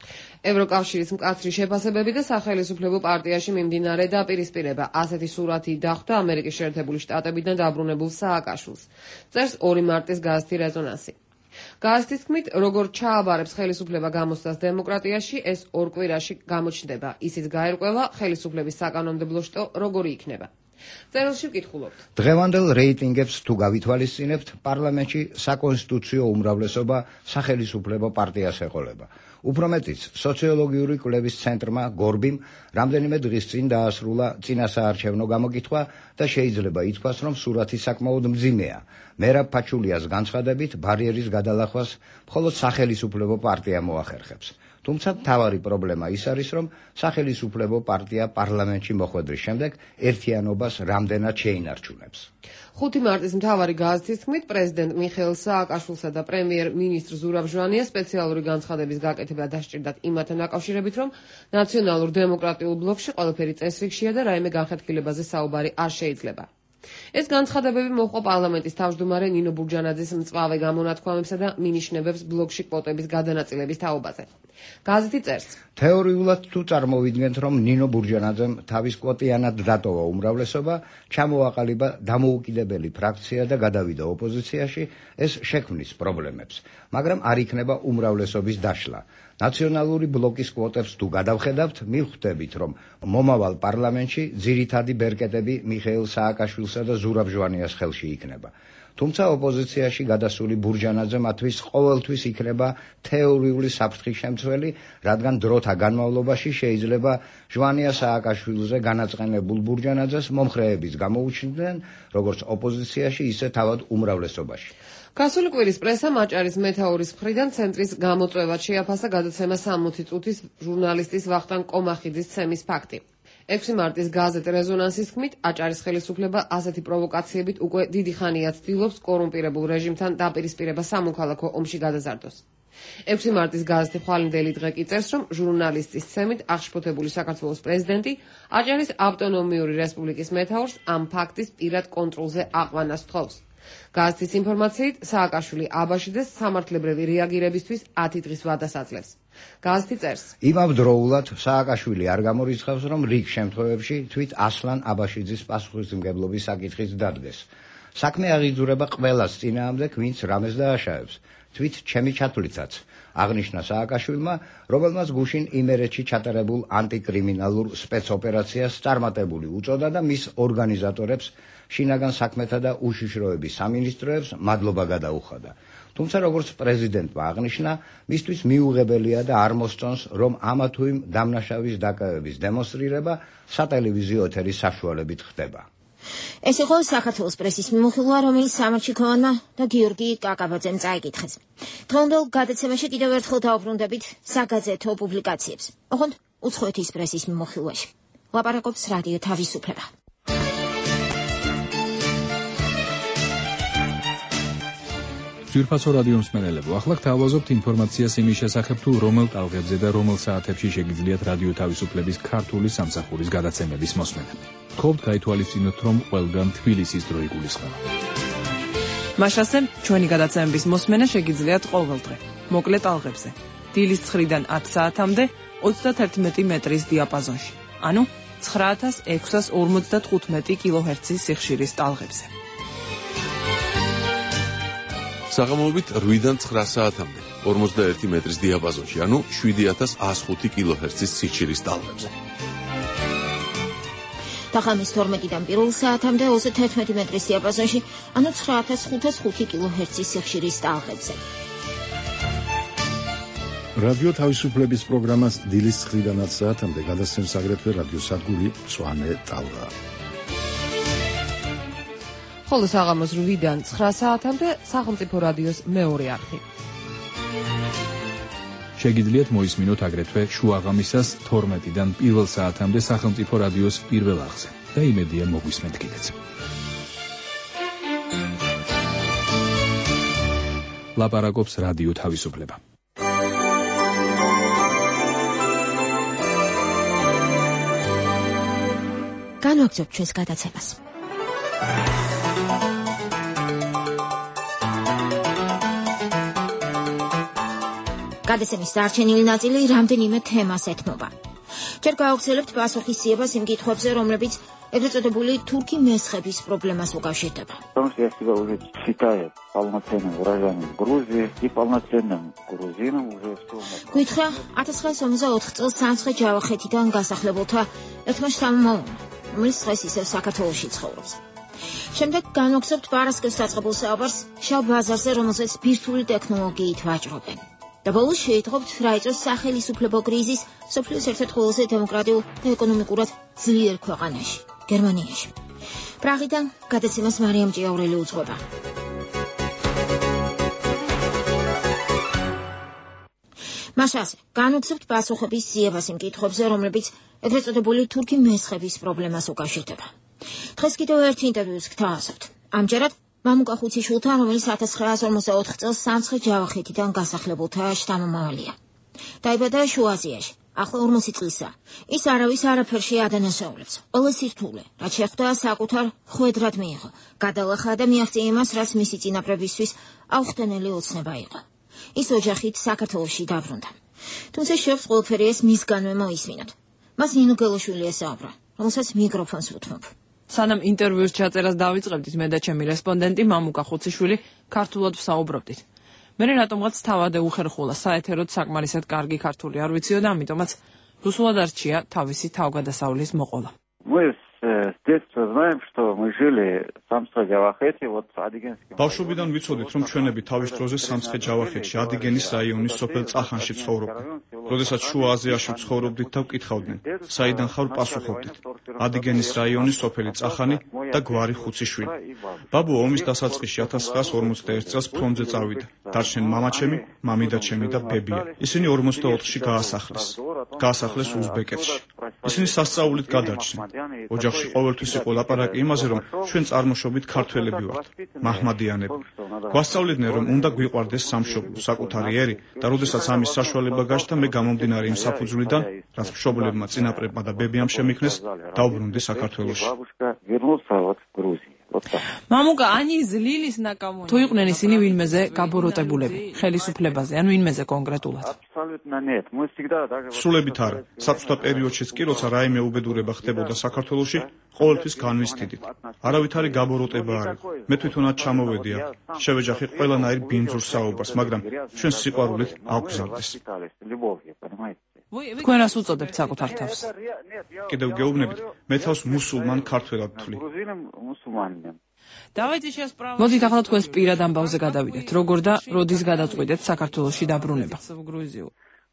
S3: ევროკავშირის მკაცრი შეფასებები და სახელისუფლებო პარტიაში მიმდინარე დაპირისპირება. ასეთი სურათი დახვდა ამერიკის შეერთებული შტატებიდან დაბრუნებულ სააკაშვილს. წერს ორი მარტის გაზეთი რეზონანსი. გაზეთის თქმით, როგორც ჩააბარებს ხელისუფლება გამოსვლას დემოკრატიაში, ეს ორ კვირაში გამოჩნდება. ისიც გაერკვევა ხელისუფლების საკანონმდებლო შტო როგორი იქნება. წერილში ვკითხულობთ.
S11: დღევანდელ რეიტინგებს თუ გავითვალისწინებთ, პარლამენტში საკონსტიტუციო უმრავლესობა სახელისუფლებო პარტიას ეყოლება. უფრო მეტიც, სოციოლოგიური კვლევის ცენტრმა გორბიმ რამდენიმე დღის წინ დაასრულა წინასაარჩევნო გამოკითხვა და შეიძლება ითქვას, რომ სურათი საკმაოდ მძიმეა. მერაბ ფაჩულიას განცხადებით, ბარიერის გადალახვას მხოლოდ სახელისუფლებო პარტია მოახერხებს. თუმცა მთავარი პრობლემა ის არის, რომ სახელისუფლებო პარტია პარლამენტში მოხვედრის შემდეგ ერთიანობას რამდენად შეინარჩუნებს.
S3: ხუთი მარტის მთავარი გაზეთის თქმით, პრეზიდენტ მიხეილ სააკაშვილსა და პრემიერ-მინისტრ ზურაბ ჟვანიას სპეციალური განცხადების გაკეთება დასჭირდათ იმათთან დაკავშირებით, რომ ნაციონალურ დემოკრატიულ ბლოკში ყველაფერი წესრიგშია და რაიმე განხეთქილებაზე საუბარი არ შეიძლება. ეს განცხადებები მოჰყვა პარლამენტის თავმჯდომარე ნინო ბურჯანაძის მწვავე გამონათქვამებსა და მინიშნებებს ბლოკში კვოტების გადანაწილების თაობაზე. გაზეთი წერს.
S11: თეორიულად თუ წარმოვიდგენთ, რომ ნინო ბურჯანაძემ თავის კვოტიანად დატოვა უმრავლესობა, ჩამოაყალიბა დამოუკიდებელი ფრაქცია და გადავიდა ოპოზიციაში, ეს შექმნის პრობლემებს, მაგრამ არ იქნება უმრავლესობის დაშლა. ნაციონალური ბლოკის კვოტებს თუ გადავხედავთ, მივხვდებით, რომ მომავალ პარლამენტში ძირითადი ბერკეტები მიხეილ სააკაშვილსა და ზურაბ ჟვანიას ხელში იქნება. თუმცა ოპოზიციაში გადასული ბურჯანაძე მათთვის ყოველთვის იქნება თეორიული საფრთხის შემცველი, რადგან დროთა განმავლობაში შეიძლება ჟვანია სააკაშვილზე განაწყენებულ ბურჯანაძეს მომხრეებიც გამოუჩნდნენ, როგორც ოპოზიციაში, ისე თავად უმრავლესობაში.
S3: გასული კვირის პრესამ აჭარის მეთაურის მხრიდან ცენტრის გამოწვევად შეაფასა გადაცემა სამოცი წუთის ჟურნალისტის ვახტანგ კომახიძის ცემის ფაქტი. ექვსი მარტის გაზეთ რეზონანსის თქმით, აჭარის ხელისუფლება ასეთი პროვოკაციებით უკვე დიდი ხანია ცდილობს კორუმპირებულ რეჟიმთან დაპირისპირება სამოქალაქო ომში გადაზარდოს. ექვსი მარტის გაზეთი ხვალინდელი დღე კი წერს, რომ ჟურნალისტის ცემით აღშფოთებული საქართველოს პრეზიდენტი აჭარის ავტონომიური რესპუბლიკის მეთაურს ამ ფაქტის პირად კონტროლზე აყვანას თხოვს. გაზეთის ინფორმაციით, სააკაშვილი აბაშიძეს სამართლებრივი რეაგირებისთვის ათი დღის ვადას აძლევს. გაზეთი წერს:
S11: იმავდროულად სააკაშვილი არ გამორიცხავს, რომ რიგ შემთხვევებში თვით ასლან აბაშიძის პასუხისმგებლობის საკითხიც დადგეს. საქმე აღიძურება ყველას წინააღმდეგ, ვინც რამეს დააშავებს. თვით ჩემი ჩათვლითაც აღნიშნა სააკაშვილმა, რომელმაც გუშინ იმერეთში ჩატარებულ ანტიკრიმინალურ სპეცოპერაციას წარმატებული უწოდა და მის ორგანიზატორებს, შინაგან საქმეთა და უშიშროების სამინისტროებს მადლობა გადაუხადა. თუმცა როგორც პრეზიდენტმა აღნიშნა, მისთვის მიუღებელია და არ მოსწონს, რომ ამა თუ იმ დამნაშავის დაკავების დემონსტრირება სატელევიზიო ეთერის საშუალებით ხდება.
S1: ეს იყო საქართველოს პრესის მიმოხილვა, რომელიც სამარჩი ქოვანმა და გიორგი კაკაბაძემ წაიკითხეს. დღევანდელ გადაცემაში კიდევ ერთხელ დავუბრუნდებით საგაზეთო პუბლიკაციებს. ოღონდ უცხოეთის პრესის მიმოხილვაში. ლაპარაკობს რადიო თავისუფლება.
S12: ძვირფასო რადიო მსმენელებო, ახლა გთავაზობთ ინფორმაციას იმის შესახებ, თუ რომელ ტალღებზე და რომელ საათებში შეგიძლიათ რადიო თავისუფლების ქართული სამსახურის გადაცემების მოსმენა. გთხოვთ გაითვალისწინოთ, რომ ყველგან თბილისის დრო იგულისხმება.
S13: მაშასე, ჩვენი გადაცემების მოსმენა შეგიძლიათ ყოველდღე, მოკლე ტალღებზე, დილის ცხრიდან ათ საათამდე ოცდათერთმეტი მეტრის დიაპაზონში, ანუ ცხრა ათას ექვსას ორმოცდათხუთმეტი კილოჰერცის სიხშირის ტალღებზე.
S14: საღამოობით რვიდან ცხრა საათამდე ორმოცდაერთი მეტრის დიაპაზონში, ანუ შვიდი ათას ას ხუთი კილოჰერცის სიხშირის ტალღებზე.
S1: და ხამის თორმეტიდან პირველ საათამდე ოცდათერთმეტი მეტრის დიაპაზონში, ანუ ცხრა ათას ხუთას ხუთი კილოჰერცის სიხშირის ტალღებზე.
S2: რადიო თავისუფლების პროგრამას დილის ცხრიდან ათ საათამდე გადასცემს აგრეთვე რადიო სადგური მწვანე ტალღა.
S3: ხოლო საღამოს რვიდან ცხრა საათამდე სახელმწიფო რადიოს მეორე არხი.
S12: შეგიძლიათ მოისმინოთ აგრეთვე შუაღამისას თორმეტიდან პირველ საათამდე სახელმწიფო რადიოს პირველ არხზე და იმედია მოგვისმენთ კიდეც. ლაპარაკობს რადიო თავისუფლება.
S1: განვაგრძობთ ჩვენს გადაცემას. გადაცემის დარჩენილი ნაწილი რამდენიმე თემას ეთმობა. ჯერ გავაგრძელებთ პასუხისმგებლობას იმ კითხვებზე, რომლებიც ეგრეთ წოდებული თურქი მესხების პრობლემას უკავშირდება.
S15: Я себя уже считаю полноценным гражданином Грузии и полноценным грузином уже в том.
S1: გითხრა ათას ცხრაასი ორმოცდაოთხ წელს სამცხე ჯავახეთიდან გასახლებულთა ერთმა შთამომავლმა, რომელიც დღეს ისევ საქართველოში ცხოვრობს. შემდეგ განვაგრძობთ პარასკევს დაწყებულ საუბარს შავ ბაზარზე, რომელზეც ბირთვული ტექნოლოგიით ვაჭრობენ. და ბოლოს შეიტყობთ რა იწვევს სახელისუფლებო კრიზისს მსოფლიოს ერთ-ერთ ყველაზე დემოკრატიულ და ეკონომიკურად ძლიერ ქვეყანაში, გერმანიაში. პრაღიდან გადაცემას მარიამ ჭიაურელი უძღვება. მაშასე, განვაგრძობთ პასუხების ძიებას იმ კითხვებზე, რომლებიც ეგრეთ წოდებული თურქი მესხების პრობლემას უკავშირდება. დღეს კიდევ ერთ ინტერვიუს გთავაზობთ. ამჯერად მამუკა ხუციშვილთან, რომელიც ათას ცხრაასი ორმოცდაოთხ წელს სამცხე ჯავახეთიდან გასახლებულთა შთამომავალია. დაიბადა შუა აზიაში, ახლა ორმოცი წლისაა. ის არავის არაფერში ადანაშაულებს. ყველა სირთულე, რაც შეხვდა, საკუთარ ხვედრად მიიღო. გადალახა და მიაღწია იმას, რაც მისი წინაპრებისთვის აუხტენელი ოცნება იყო. ის ოჯახით საქართველოში დაბრუნდა. თუმცა შეობს ყველაფერი ეს მისგანვე მოისმინოთ. მას ნინო გელოშვილი ესაუბრა, რომელსაც მიკროფონს უთმობ.
S13: სანამ ინტერვიუს ჩაწერას დავიწყებდით, მე და ჩემი რესპონდენტი მამუკა ხუციშვილი ქართულად ვსაუბრობდით. მე რატომღაც თავადე უხერხულა საეთეროდ საკმარისად კარგი ქართული არ ვიციო და ამიტომაც რუსულად არჩია თავისი თავგადასავლის მოყოლა.
S15: Мы с детства знаем, что мы жили в Самცხე-ჯავახეთი, вот Адიგენსკი.
S8: ბავშვობიდან ვიცოდით, რომ ჩვენები თავის დროზე სამცხე-ჯავახეთში, ადიგენის რაიონის სოფელ წახანში ცხოვრობდნენ. როდესაც შუა აზიაში ცხოვრობდით და ვკითხავდნენ, საიდან ხარ, პასუხობდით. ადიგენის რაიონის სოფელი წახანი და გვარი ხუციშვილი.
S16: ბაბუ ომის დასაწყისში ათას ცხრაას ორმოცდაერთ წელს ფრონტზე წავიდა. დარჩნენ მამაჩემი, მამიდაჩემი და ბებია. ისინი ორმოცდაოთხში გაასახლეს. გაასახლეს უზბეკეთში. ისინი სასწაულით გადარჩნენ. ოჯახში ყოველთვის იყო ლაპარაკი იმაზე, რომ ჩვენ წარმოშობით ქართველები ვართ, მაჰმადიანები. გვასწავლიდნენ, რომ უნდა გვიყვარდეს სამშობლო, საკუთარი ერი და როდესაც ამის საშუალება გაჩნდა, მე გამომდინარე იმ საფუძვლიდან, რაც მშობლებმა, წინაპრებმა და ბებიამ შემიქნეს, დაუბრუნდი საქართველოში.
S13: მამუკა ანი ზლილის ნაკამონი თუ იყვნენ ისინი ვინმეზე გაბოროტებულები ხელისუფლებაზე ან ვინმეზე კონკრეტულად
S16: სრულებით არა საბჭოთა პერიოდშიც კი როცა რაიმე უბედურება ხდებოდა საქართველოში ყოველთვის განვისტიდით არავითარი გაბოროტება არ იყო მე თვითონაც ჩამოვედი აქ შევეჯახი ყველანაირ ბინძურ საუბარს მაგრამ ჩვენ სიყვარულით აგვგზავნეს
S13: თქვენ რას უწოდებთ საკუთარ თავს
S16: კიდევ გეუბნებით მე თავს მუსულმან ქართველად ვთვლი
S13: მოდით ახლა თქვენს პირად ამბავზე გადავიდეთ როგორ და როდის გადაწყვეტეთ საქართველოში დაბრუნება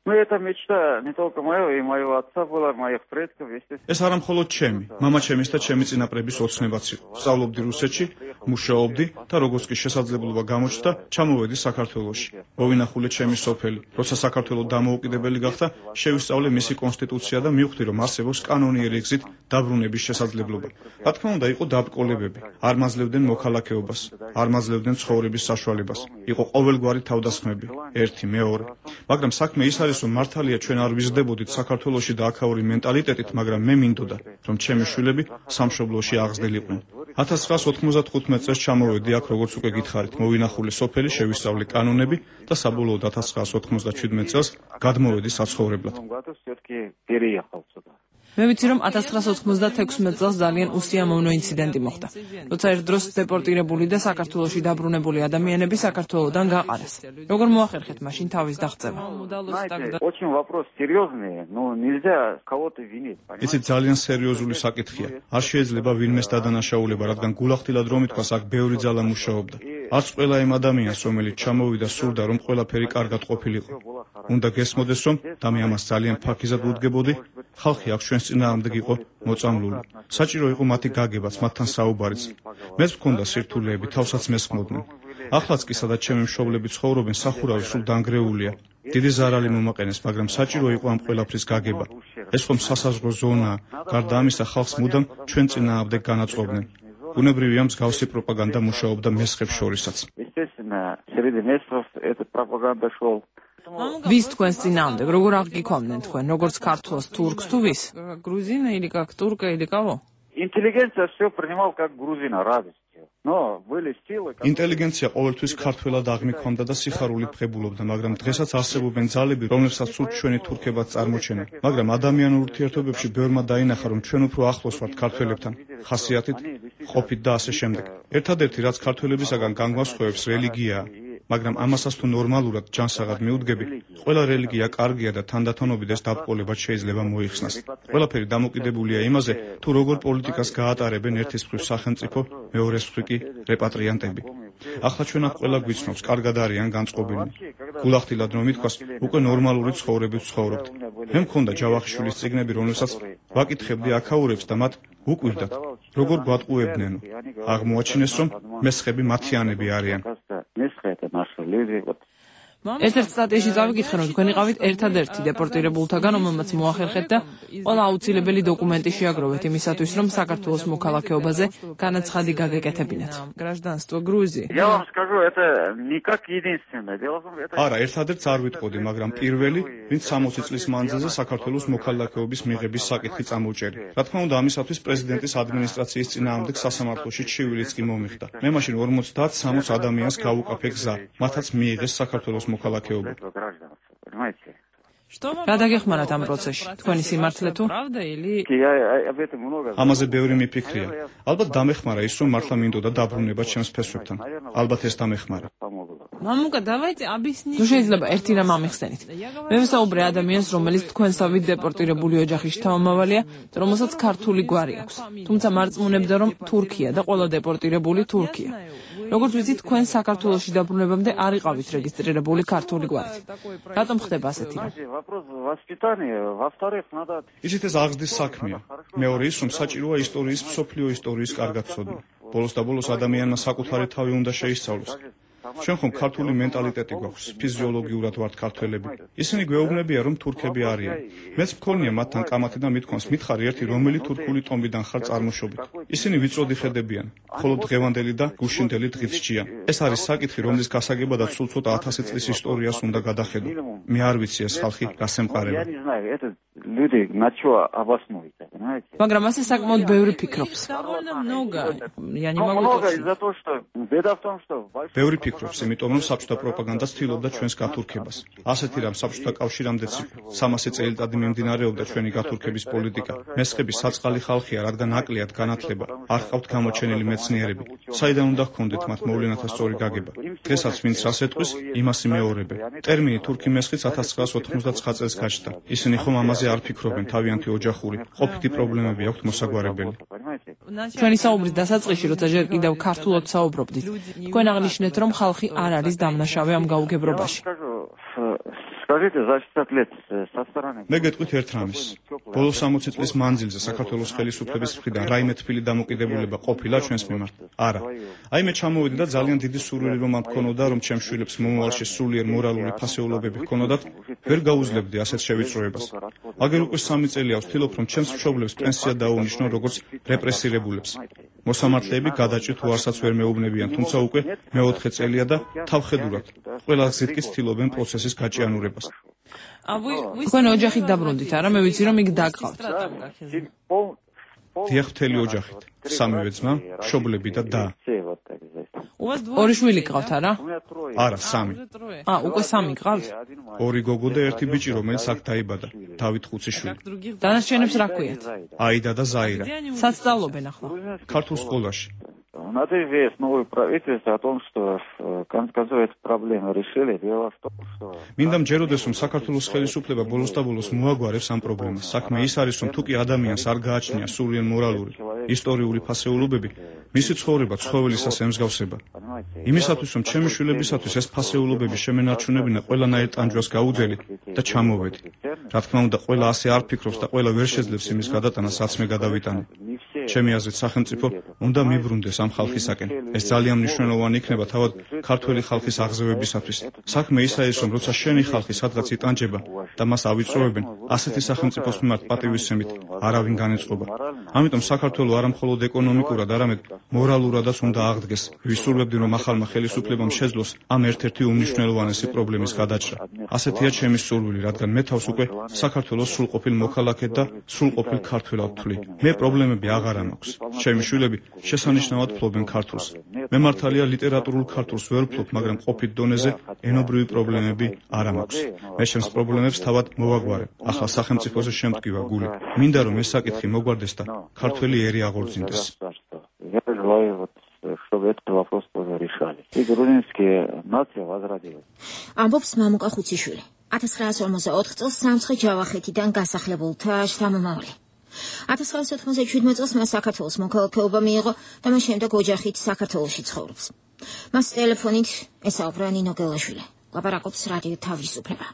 S15: Ну это мечта не только моего и моего отца была, моих предков, естественно.
S16: ეს არა მხოლოდ ჩემი, მამაჩემის და ჩემი წინაპრების ოცნებაც იყო. სწავლობდი რუსეთში, მუშაობდი და როგორც კი შესაძლებლობა გამოჩნდა, ჩამოვედი საქართველოში. მოვინახულე ჩემი სოფელი. როცა საქართველო დამოუკიდებელი გახდა, შევისწავლე მისი კონსტიტუცია და მივხვდი, რომ არსებობს კანონიერი გზით დაბრუნების შესაძლებლობა. რა თქმა უნდა, იყო დაბკოლებები. არ მაძლევდნენ მოქალაქეობას, არ მაძლევდნენ ცხოვრების საშუალებას. იყო ყოველგვარი თავდასხმები, ერთი, მეორე. მაგრამ საქმე ის არის რომ მართალია ჩვენ არ ვიზრდებოდით საქართველოში და აქაური მენტალიტეტით, მაგრამ მე მინდოდა, რომ ჩემი შვილები სამშობლოში აღზრდილიყვნენ. ათას ცხრაას ოთხმოცდათხუთმეტ წელს ჩამოვედი აქ, როგორც უკვე გითხარით, მოვინახულე სოფელი, შევისწავლე კანონები და საბოლოოდ ათას ცხრაას ოთხმოცდაჩვიდმეტ წელს გადმოვედი საცხოვრებლად.
S13: მე ვიცი რომ ათას ცხრაას ოთხმოცდათექვსმეტ წელს ძალიან უსიამოვნო ინციდენტი მოხდა, როცა ერთ დროს დეპორტირებული და საქართველოში დაბრუნებული ადამიანები საქართველოდან გაყარეს. როგორ მოახერხეთ მაშინ თავის დაღწევა?
S15: Очень вопрос серьезный, но нельзя кого-то винить.
S16: იცით ძალიან სერიოზული საკითხია. არ შეიძლება ვინმეს დადანაშაულება, რადგან გულახდილად რომ ითქვას, აქ ბევრი ძალა მუშაობდა. არც ყველა იმ ადამიანს, რომელიც ჩამოვიდა, სურდა რომ ყველაფერი კარგად ყოფილიყო. უნდა გესმოდეს, რომ და მე ამას ძალიან ფაქიზად ვუდგებოდი, ხალხი აქ ჩვენს წინააღმდეგ იყო მოწამლული. საჭირო იყო მათი გაგებაც, მათთან საუბარიც. მეც მქონდა სირთულეები, თავსაც მესხმოდნენ. ახლაც კი სადაც ჩემი მშობლები ცხოვრობენ, სახურავი სულ დანგრეულია. დიდი ზარალი მომაყენეს, მაგრამ საჭირო იყო ამ ყველაფრის გაგება. ეს ხომ სასაზღვრო ზონაა, გარდა ამისა ხალხს მუდამ ჩვენ წინააღმდეგ განაწყობდნენ. ბუნებრივია მსგავსი პროპაგანდა მუშაობდა მესხებს შორისაც.
S15: Естественно, среди местных эта пропаганда шел.
S13: ვის თქვენს წინააღმდეგ, როგორ აღგიქვამდნენ თქვენ, როგორც ქართულს, თურქს თუ ვის? Грузина или как турка или кого?
S15: Интеллигенция все принимал как грузина радостью. Но были силы,
S16: ინტელიგენცია ყოველთვის ქართველად აღმიქვამდა და სიხარულით ღებულობდა, მაგრამ დღესაც არსებობენ ძალები, რომლებსაც სულ ჩვენი თურქებად წარმოჩენენ. მაგრამ ადამიანურ ურთიერთობებში ბევრმა დაინახა, რომ ჩვენ უფრო ახლოს ვართ ქართველებთან, ხასიათით, ყოფით და ასე შემდეგ. ერთადერთი, რაც ქართველებისაგან განგვასხვავებს, რელიგიაა. მაგრამ ამასაც თუ ნორმალურად ჯანსაღად მიუდგები, ყველა რელიგია კარგია და თანდათანობით ეს დაბყოლებაც შეიძლება მოიხსნას. ყველაფერი დამოკიდებულია იმაზე, თუ როგორ პოლიტიკას გაატარებენ ერთის მხრივ სახელმწიფო, მეორეს მხრივ კი რეპატრიანტები. ახლა ჩვენ აქ ყველა გვიცნობს, კარგად არიან განწყობილნი. გულახდილად რომ ითქვას, უკვე ნორმალური ცხოვრებით ცხოვრობთ. მე მქონდა ჯავახიშვილის წიგნები, რომლებსაც ვაკითხებდი აქაურებს და მათ უკვირდათ, როგორ გვატყუებდნენო. აღმოაჩინეს, რომ მესხები მათიანები არიან.
S13: ერთ-ერთ სტატიაში წავიკითხე, რომ თქვენ იყავით ერთადერთი დეპორტირებულთაგან, რომელმაც მოახერხეთ და ყველა აუცილებელი დოკუმენტი შეაგროვეთ იმისათვის, რომ საქართველოს მოქალაქეობაზე განაცხადი გაგეკეთებინათ. Гражданство Грузии.
S15: Я вам скажу, это не как единственное. Дело в том, это
S16: არა, ერთადერთს არ ვიტყოდი, მაგრამ პირველი, ვინც სამოცი წლის მანძილზე საქართველოს მოქალაქეობის მიღების საკითხი წამოუჭერი. რა თქმა უნდა, ამისათვის პრეზიდენტის ადმინისტრაციის წინააღმდეგ სასამართლოში ჩივილიც კი მომიხდა. მე მაშინ ორმოცდაათ სამოცი ადამიანს გავუკაფე გზა, მათაც მიიღეს საქართველოს მოქალაქეობა.
S13: რა დაგეხმარათ ამ პროცესში? თქვენი სიმართლე თუ?
S16: ამაზე ბევრი მიფიქრია. ალბათ დამეხმარა ის, რომ მართლა მინდოდა დაბრუნება ჩემს ფესვებთან. ალბათ ეს დამეხმარა.
S13: მამუკა, давайте объяснить. თუ შეიძლება ერთი რამ ამიხსენით. მე ვსაუბრე ადამიანს, რომელიც თქვენსავით დეპორტირებული ოჯახის შთამომავალია, რომელსაც ქართული გვარი აქვს. თუმცა მარწმუნებდა, რომ თურქია და ყველა დეპორტირებული თურქია. როგორც ვიცით, თქვენ საქართველოში დაბრუნებამდე არ იყავით რეგისტრირებული ქართული გვარით. რატომ ხდება ასეთი რამ?
S16: ისიც ეს აღზრდის საქმეა. მეორე ის, რომ საჭიროა ისტორიის, მსოფლიო ისტორიის კარგად ცოდნა. ბოლოს და ბოლოს ადამიანმა საკუთარი თავი უნდა შეისწავლოს. ჩვენ ხომ ქართული მენტალიტეტი გვაქვს, ფიზიოლოგიურად ვართ ქართველები. ისინი გვეუბნებიან, რომ თურქები არიან. მეც მქონია მათთან კამათი და მithქვამს, მითხარი ერთი რომელი თურქული ტომბიდან ხარ წარმოშობით. ისინი ვიწროდი ხედებიან, ხოლო დღევანდელი და გუშინდელი დღით სჯიან. ეს არის საკითხი, რომლის გასაგებადად სულ ცოტა ათასი წლის ისტორიას უნდა გადახედო. მე არ ვიცი ეს ხალხი რას ემყარება.
S13: მაგრამ ასე საკმაოდ ბევრი ფიქრობს.
S16: ბევრი ფიქრობს, იმიტომ რომ საბჭოთა პროპაგანდა ცდილობდა ჩვენს გათურქებას. ასეთი რამ საბჭოთა კავშირამდეც იყო. სამასი წელიწადი მიმდინარეობდა ჩვენი გათურქების პოლიტიკა. მესხები საწყალი ხალხია, რადგან აკლიათ განათლება, არ ჰყავთ გამოჩენილი მეცნიერები. საიდან უნდა ჰქონდეთ მათ მოვლენათა სწორი გაგება? დღესაც ვინც რას ეტყვის, იმას იმეორებენ. ტერმინი თურქი მესხიც ათას ცხრაას ოთხმოცდაცხრა წელს გაჩნდა. ისინი ხომ ამაზე არ ფიქრობენ, თავიანთი ოჯახური, ყოფითი პრობლემები აქვთ მოსაგვარებელი.
S13: ჩვენი საუბრის დასაწყისში, როცა ჯერ კიდევ ქართულად საუბრობდით, თქვენ აღნიშნეთ, რომ ხალხი არ არის დამნაშავე ამ გაუგებრობაში.
S16: მე გეტყვით ერთ რამეს. ბოლოს სამოცი წლის მანძილზე საქართველოს ხელისუფლების მხრიდან რაიმე თბილი დამოკიდებულება ყოფილა ჩვენს მიმართ? არა. აი მე ჩამოვედი და ძალიან დიდი სურვილი რომ მქონოდა, რომ ჩემს შვილებს მომავალში სულიერ მორალური ფასეულობები ჰქონოდათ, ვერ გაუძლებდი ასეთ შევიწროებას. აგერ უკვე სამი წელია ვცდილობ, რომ ჩემს მშობლებს პენსია დაუნიშნო როგორც რეპრესირებულებს. მოსამართლეები გადაჭრით უარსაც ვერ მეუბნებიან, თუმცა უკვე მეოთხე წელია და თავხედურად ყველა გზით კი ცდილობენ პროცესის გაჭიანურებას.
S13: თქვენ ოჯახით დაბრუნდით, არა? მე ვიცი, რომ იქ დაგყავთ.
S16: დიახ, მთელი ოჯახით. სამივე ძმა, მშობლები და და.
S13: ორი შვილი გყავთ, არა?
S16: არა, სამი.
S13: ა, უკვე სამი გყავთ?
S16: ორი გოგო და ერთი ბიჭი, რომელიც აქ დაიბადა, დავით ხუციშვილი.
S13: დანარჩენებს რა ქვიათ?
S16: აიდა და ზაირა.
S13: სად სწავლობენ ახლა?
S16: ქართულ სკოლაში.
S15: Надо известно новое правительство о том, что концов эту проблему решили. Дело в том, что
S16: მინდა მჯეროდეს, რომ საქართველოს ხელისუფლება ბოლოს და ბოლოს მოაგვარებს ამ პრობლემას. საქმე ის არის, რომ თუ კი ადამიანს არ გააჩნია სულიერ მორალური, ისტორიული ფასეულობები, მისი ცხოვრება ცხოველისას ემსგავსება. იმისათვის, რომ ჩემი შვილებისათვის ეს ფასეულობები შემენარჩუნებინა, ყველანაირ ტანჯვას გაუძელი და ჩამოვედი. რა თქმა უნდა, ყველა ასე არ ფიქრობს და ყველა ვერ შეძლებს იმის გადატანას, რაც მე გადავიტანე. ჩემი აზრით, სახელმწიფო უნდა მიბრუნდეს ამ ხალხისაკენ. ეს ძალიან მნიშვნელოვანი იქნება თავად ქართველი ხალხის აღზევებისათვის. საქმე ისაა ის, რომ როცა შენი ხალხი სადღაც იტანჯება და მას ავიწროებენ, ასეთი სახელმწიფოს მიმართ პატივისცემით არავინ განეწყობა. ამიტომ საქართველო არა მხოლოდ ეკონომიკურად, არამედ მორალურადაც უნდა აღდგეს. ვისურვებდი, რომ ახალმა ხელისუფლებამ შეძლოს ამ ერთ-ერთი უმნიშვნელოვანესი პრობლემის გადაჭრა. ასეთია ჩემი სურვილი, რადგან მე თავს უკვე საქართველოს სრულყოფილ მოქალაქედ და სრულყოფილ ქართველად ვთვლი. მე პრობლემები აღარ მაქვს. ჩემი შვილები შესანიშნავად ფლობენ ქართულს. მე მართალია ლიტერატურულ ქართულს ვერ ვფლობ, მაგრამ ყოფით დონეზე ენობრივი პრობლემები არ მაქვს. მე ჩემს პრობლემებს თავად მოვაგვარებ. ახლა სახელმწიფოზე შემტკივა გული. მინდა რომ ეს საკითხი მოგვარდეს და ქართველი ერი აღორძინდეს.
S15: чтобы этот вопрос тоже решали. И грузинские нации возродились.
S1: ამბობს მამუკა ხუციშვილი. ათას ცხრაას ორმოცდაოთხ წელს სამცხე ჯავახეთიდან გასახლებულთა შთამომავალი. ათას ცხრაას ოთხმოცდაშვიდმეტ წელს მას საქართველოს მოქალაქეობა მიიღო და მას შემდეგ ოჯახით საქართველოში ცხოვრობს. მას ტელეფონით ესაუბრა ნინო გელაშვილი. ლაპარაკობს რადიო თავისუფლება.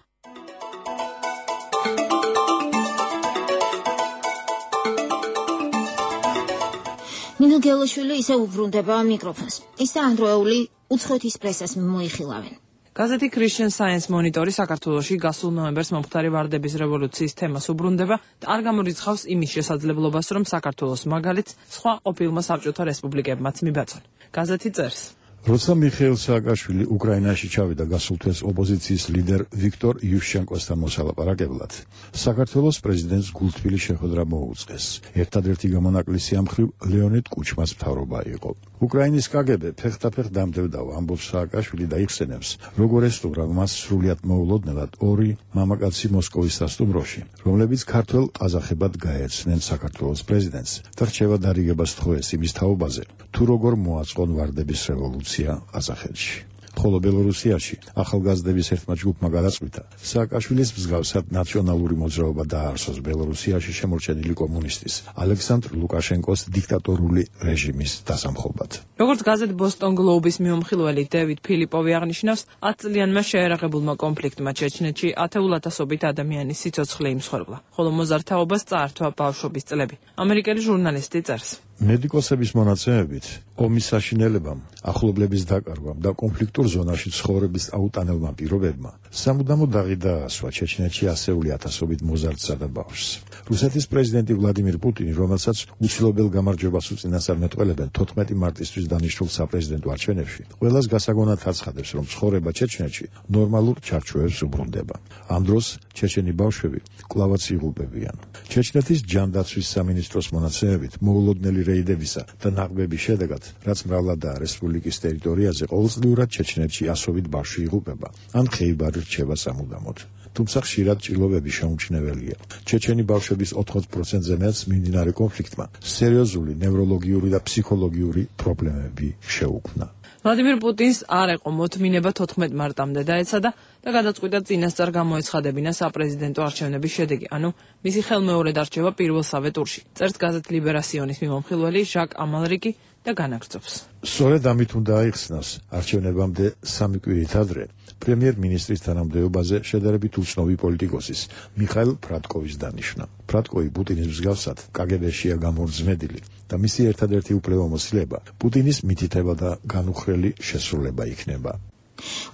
S1: ნინო გელაშვილი ისე უბრუნდება მიკროფონს. ის და ანდროეული უცხოეთის პრესას მოიხილავენ.
S13: გაზეთი Christian Science Monitor-ი საქართველოში გასულ ნოემბერს მომხდარი ვარდების რევოლუციის თემას უბრუნდება და არ გამორიცხავს იმის შესაძლებლობას, რომ საქართველოს მაგალითს სხვა ყოფილმა საბჭოთა რესპუბლიკებმაც მიბაწონ. გაზეთი წერს.
S2: როცა მიხეილ სააკაშვილი უკრაინაში ჩავიდა გასულ თვეს ოპოზიციის ლიდერ ვიქტორ იუშჩენკოსთან მოსალაპარაკებლად, საქართველოს პრეზიდენტს გულთბილი შეხვედრა მოუწყეს. ერთადერთი გამონაკლისი ამ მხრივ ლეონიდ კუჩმას მთავრობა იყო. უკრაინის კაგებე ფეხთაფეხ დამდებდა, ამბობს სააკაშვილი და იხსენებს, როგორ ესტუმრა მას სრულიად მოულოდნელად ორი მამაკაცი მოსკოვის სასტუმროში, რომლებიც ქართველ ყაზახებად გაეცნენ საქართველოს პრეზიდენტს და რჩევა დარიგებას თხოვეს იმის თაობაზე, თუ როგორ მოაწყონ ვარდების რევოლუცია ყაზახეთში. ხოლო ბელორუსიაში ახალგაზრდების ერთმა ჯგუფმა გადაწყვიტა სააკაშვილის მსგავსად ნაციონალური მოძრაობა დაარსოს ბელორუსიაში შემორჩენილი კომუნისტის ალექსანდრ ლუკაშენკოს დიქტატორული რეჟიმის დასამხობად.
S13: როგორც გაზეთ ბოსტონ გლოუბის მიმოხილველი დევიდ ფილიპოვი აღნიშნავს, ათ წლიანმა შეერაღებულმა კონფლიქტმა ჩეჩნეთში ათეულათასობით ადამიანის სიცოცხლე იმსხვერპლა, ხოლო მოზარდთაობას წაართვა ბავშვობის წლები. ამერიკელი ჟურნალისტი წერს.
S2: მედიკოსების მონაცემებით, ომის საშინელებამ, ახლობლების დაკარგვამ და კონფლიქტურ ზონაში ცხოვრების აუტანელმა პირობებმა სამუდამოდ დაღი დაასვა ჩეჩნეთში ასეული ათასობით მოზარდსა და ბავშვს. რუსეთის პრეზიდენტი ვლადიმირ პუტინი, რომელსაც უცილობელ გამარჯვებას უწინასწარმეტყველებენ თოთხმეტი მარტისთვის დანიშნულ საპრეზიდენტო არჩევნებში, ყველას გასაგონად აცხადებს, რომ ცხოვრება ჩეჩნეთში ნორმალურ ჩარჩოებს უბრუნდება. ამ დროს ჩეჩენი ბავშვები კვლავაც იღუპებიან. ჩეჩნეთის ჯანდაცვის სამინისტროს მონაცემებით, მოულოდნელი რეიდებისა და ნაღბების შედეგად, რაც მრავლადაა რესპუბლიკის ტერიტორიაზე, ყოველწლიურად ჩეჩნეთში ასობით ბავშვი იღუპება, ან ხეიბარი რჩება სამუდამოდ. თუმცა ხშირად ჭრილობები შეუმჩნეველია. ჩეჩენი ბავშვების ოთხმოცდ პროცენტზე მეტს მიმდინარე კონფლიქტმა სერიოზული ნევროლოგიური და ფსიქოლოგიური პრობლემები შეუქმნა.
S13: ვლადიმირ პუტინს არ ეყო მოთმინება თოთხმეტ მარტამდე დაეცადა და გადაწყვიტა წინასწარ გამოეცხადებინა საპრეზიდენტო არჩევნების შედეგი, ანუ მისი ხელმეორედ არჩევა პირველსავე ტურში. წერს გაზეთ ლიბერასიონის მიმომხილველი ჟაკ ამალრიკი და განაგრძობს.
S2: სწორედ ამით უნდა აიხსნას არჩევნებამდე სამი კვირით ადრე პრემიერ-მინისტრის თანამდებობაზე შედარებით უცნობი პოლიტიკოსის მიხაილ ფრატკოვის დანიშვნა. ფრატკოვი პუტინის მსგავსად კაგებეშია გამორძმედილი და მისი ერთადერთი უფლებამოსილება პუტინის მითითება და განუხრელი შესრულება იქნება.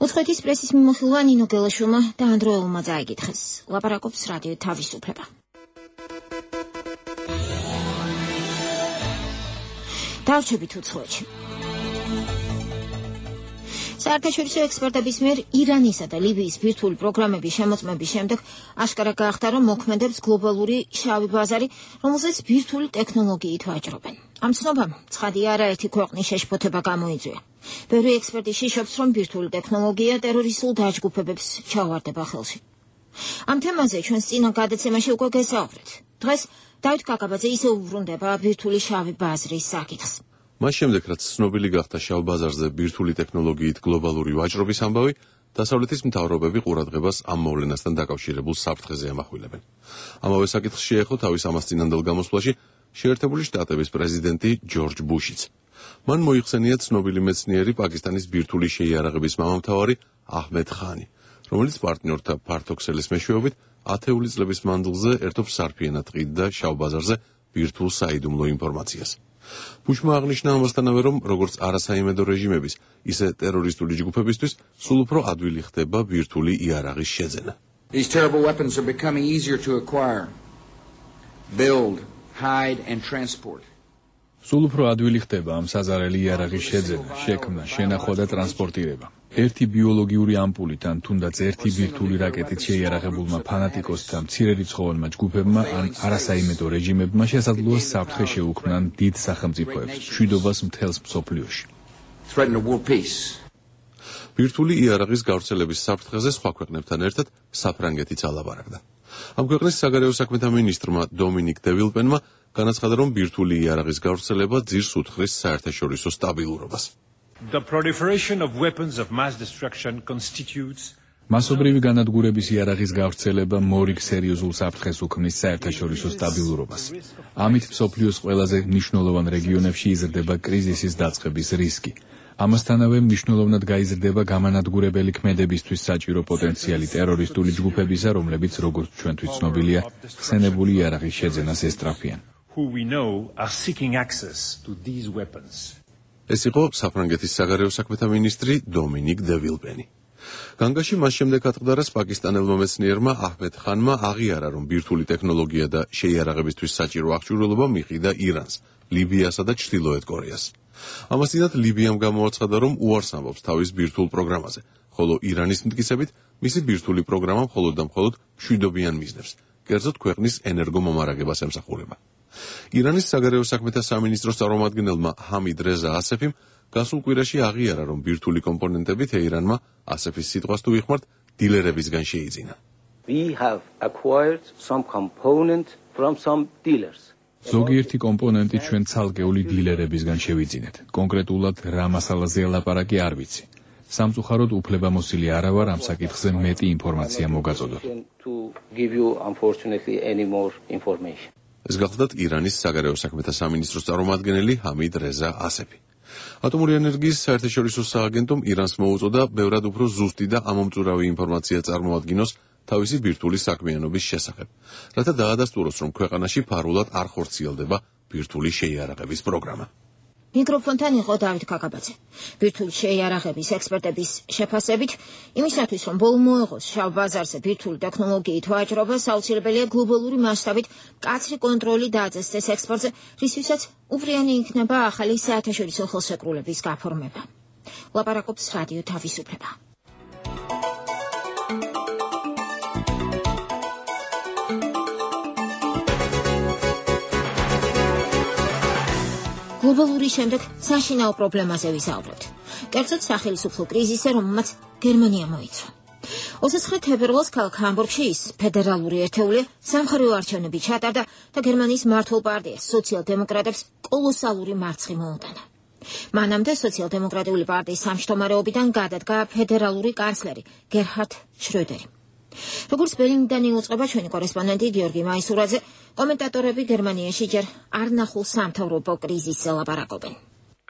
S1: უცხოეთის პრესის მიმოხილვა ნინო გელაშვილმა და ანდროელმა წაიკითხეს. ლაპარაკობს რადიო თავისუფლება. დავჩებით უცხოეთში. საერთაშორისო ექსპერტების მიერ ირანისა და ლიბიის ბირთვული პროგრამების შემოწმების შემდეგ აშკარა გახდა, რომ მოქმედებს გლობალური შავი ბაზარი, რომელზეც ბირთვული ტექნოლოგიით ვაჭრობენ. ამ ცნობამ ცხადია არაერთი ქვეყნის შეშფოთება გამოიწვია. ბევრი ექსპერტი შიშობს, რომ ბირთვული ტექნოლოგია ტერორისტულ დაჯგუფებებს ჩაუვარდება ხელში. ამ თემაზე ჩვენს წინა გადაცემაში უკვე გესაუბრეთ. დღეს დავით კაკაბაძე ისევ უბრუნდება ბირთვული შავი ბაზრის საკითხს.
S14: მას შემდეგ, რაც ცნობილი გახდა შავ ბაზარზე ბირთვული ტექნოლოგიით გლობალური ვაჭრობის ამბავი, დასავლეთის მთავრობები ყურადღებას ამ მოვლენასთან დაკავშირებულ საფრთხეზე ემახვილებენ. ამავე საკითხს შეეხო თავის ამას წინანდელ გამოსვლაში შეერთებული შტატების პრეზიდენტი ჯორჯ ბუშიც. მან მოიხსენია ცნობილი მეცნიერი პაკისტანის ბირთვული შეიარაღების მამამთავარი აჰმედ ხანი, რომელიც პარტნიორთა ფართოქსელის მეშვეობით ათეული წლების მანძილზე ერთობს სარფიენად ყიდ და შავ ბაზარზე ბირთვულ საიდუმლო ინფორმაციას. ბუშმა აღნიშნა ამასთანავე, რომ როგორც არასაიმედო რეჟიმების, ისე ტერორისტული ჯგუფებისთვის სულ უფრო ადვილი ხდება ბირთვული იარაღის შეძენა.
S17: These terrible weapons are becoming easier to acquire, build, hide and transport.
S12: სულ უფრო ადვილი ხდება ამ საზარელი იარაღის შეძენა, შექმნა, შენახვა და ტრანსპორტირება. ერთი ბიოლოგიური ამპულით ან თუნდაც ერთი ბირთვული რაკეტით შეიარაღებულმა ფანატიკოსთა მცირერიცხოვანმა ჯგუფებმა ან არასაიმედო რეჟიმებმა შესაძლოა საფრთხე შეუქმნან დიდ სახელმწიფოებს, მშვიდობას მთელს მსოფლიოში.
S14: ბირთვული იარაღის გავრცელების საფრთხეზე სხვა ქვეყნებთან ერთად საფრანგეთიც ალაპარაკდა. ამ ქვეყნის საგარეო საქმეთა მინისტრმა დომინიკ დე ვილპენმა განაცხადა, რომ ბირთვული იარაღის გავრცელება ძირს უთხრის საერთაშორისო სტაბილურობას.
S18: The proliferation of weapons of mass destruction constitutes
S12: მასობრივი განადგურების იარაღის გავრცელება მორიგ სერიოზულ საფრთხეს უქმნის საერთაშორისო სტაბილურობას. ამით მსოფლიოს ყველაზე მნიშვნელოვან რეგიონებში იზრდება კრიზისის დაწყების რისკი. ამასთანავე მნიშვნელოვნად გაიზრდება გამანადგურებელი ქმედებისთვის საჭირო პოტენციალი ტერორისტული ჯგუფებისა, რომლებიც, როგორც ჩვენთვის ცნობილია, ხსენებული იარაღის შეძენას ესწრაფიან.
S18: who we know are seeking access to these weapons.
S14: ეს იყო საფრანგეთის საგარეო საქმეთა მინისტრი დომინიკ დე ვილპენი. განგაში მას შემდეგ ატყდარას პაკისტანელმა მეცნიერმა აჰმედ ხანმა აღიარა, რომ ბირთვული ტექნოლოგია და შეიარაღებისთვის საჭირო აღჭურვილობა მიყიდა ირანს, ლიბიასა და ჩრდილოეთ კორეას. ამასთანავე ლიბიამ გამოაცხადა, რომ უარს ამბობს თავის ბირთვულ პროგრამაზე, ხოლო ირანის მტკიცებით მისი ბირთვული პროგრამა მხოლოდ და მხოლოდ მშვიდობიან მიზნებს, კერძოდ ქვეყნის ენერგომომარაგებას ემსახურება. ირანის საგარეო საქმეთა სამინისტროს წარმომადგენელმა ჰამიდ რეზა ასეფიმ გასულ კვირაში აღიარა, რომ ბირთვული კომპონენტები თეირანმა ასეფის სიტყვას თუ ვიხმართ, დილერებისგან შეიძინა.
S19: We have acquired some component from some dealers.
S12: ზოგიერთი კომპონენტი ჩვენ ცალკეული დილერებისგან შევიძინეთ. კონკრეტულად რა მასალაზეა ლაპარაკი არ ვიცი. სამწუხაროდ უფლებამოსილი არა ვარ ამ საკითხზე მეტი ინფორმაცია მოგაწოდოთ.
S14: ეს გახლდათ ირანის საგარეო საქმეთა სამინისტროს წარმომადგენელი ჰამიდ რეზა ასეფი. ატომური ენერგიის საერთაშორისო სააგენტომ ირანს მოუწოდა ბევრად უფრო ზუსტი და ამომწურავი ინფორმაცია წარმოადგინოს თავისი ბირთვული საქმიანობის შესახებ, რათა დაადასტუროს, რომ ქვეყანაში ფარულად არ ხორციელდება ბირთვული შეიარაღების პროგრამა.
S1: მიკროფონთან იყო დავით კაკაბაძე. ბირთვული შეიარაღების ექსპერტების შეფასებით, იმისათვის, რომ ბოლო მოეღოს შავ ბაზარზე ბირთვული ტექნოლოგიით ვაჭრობა, საუცილებელია გლობალური მასშტაბით მკაცრი კონტროლი დააწესდეს ექსპორტზე, რისთვისაც უპრიანი იქნება ახალი საერთაშორისო ხელშეკრულების გაფორმება. ლაპარაკობს რადიო თავისუფლება. გლობალური შემდეგ საშინაო პრობლემაზე ვისაუბრებთ. კერძოდ სახელმწიფო კრიზისზე, რომელმაც გერმანია მოიცვა. ოცდაცხრე თებერვალს ქალაქ ჰამბურგში ის ფედერალური ერთეული სამხარეო არჩევნები ჩატარდა და გერმანიის მმართველ პარტიას სოციალ-დემოკრატებს კოლოსალური მარცხი მოუტანა. მანამდე სოციალ-დემოკრატიული პარტიის სამშტომარეობიდან გადადგა ფედერალური კანცლერი გერჰარდ შროდერი. როგორც ბერლინიდან იუწყება ჩვენი კორესპონდენტი გიორგი მაისურაძე, კომენტატორები გერმანიაში ჯერ არ ნახულ სამთავრობო კრიზისზე ლაპარაკობენ.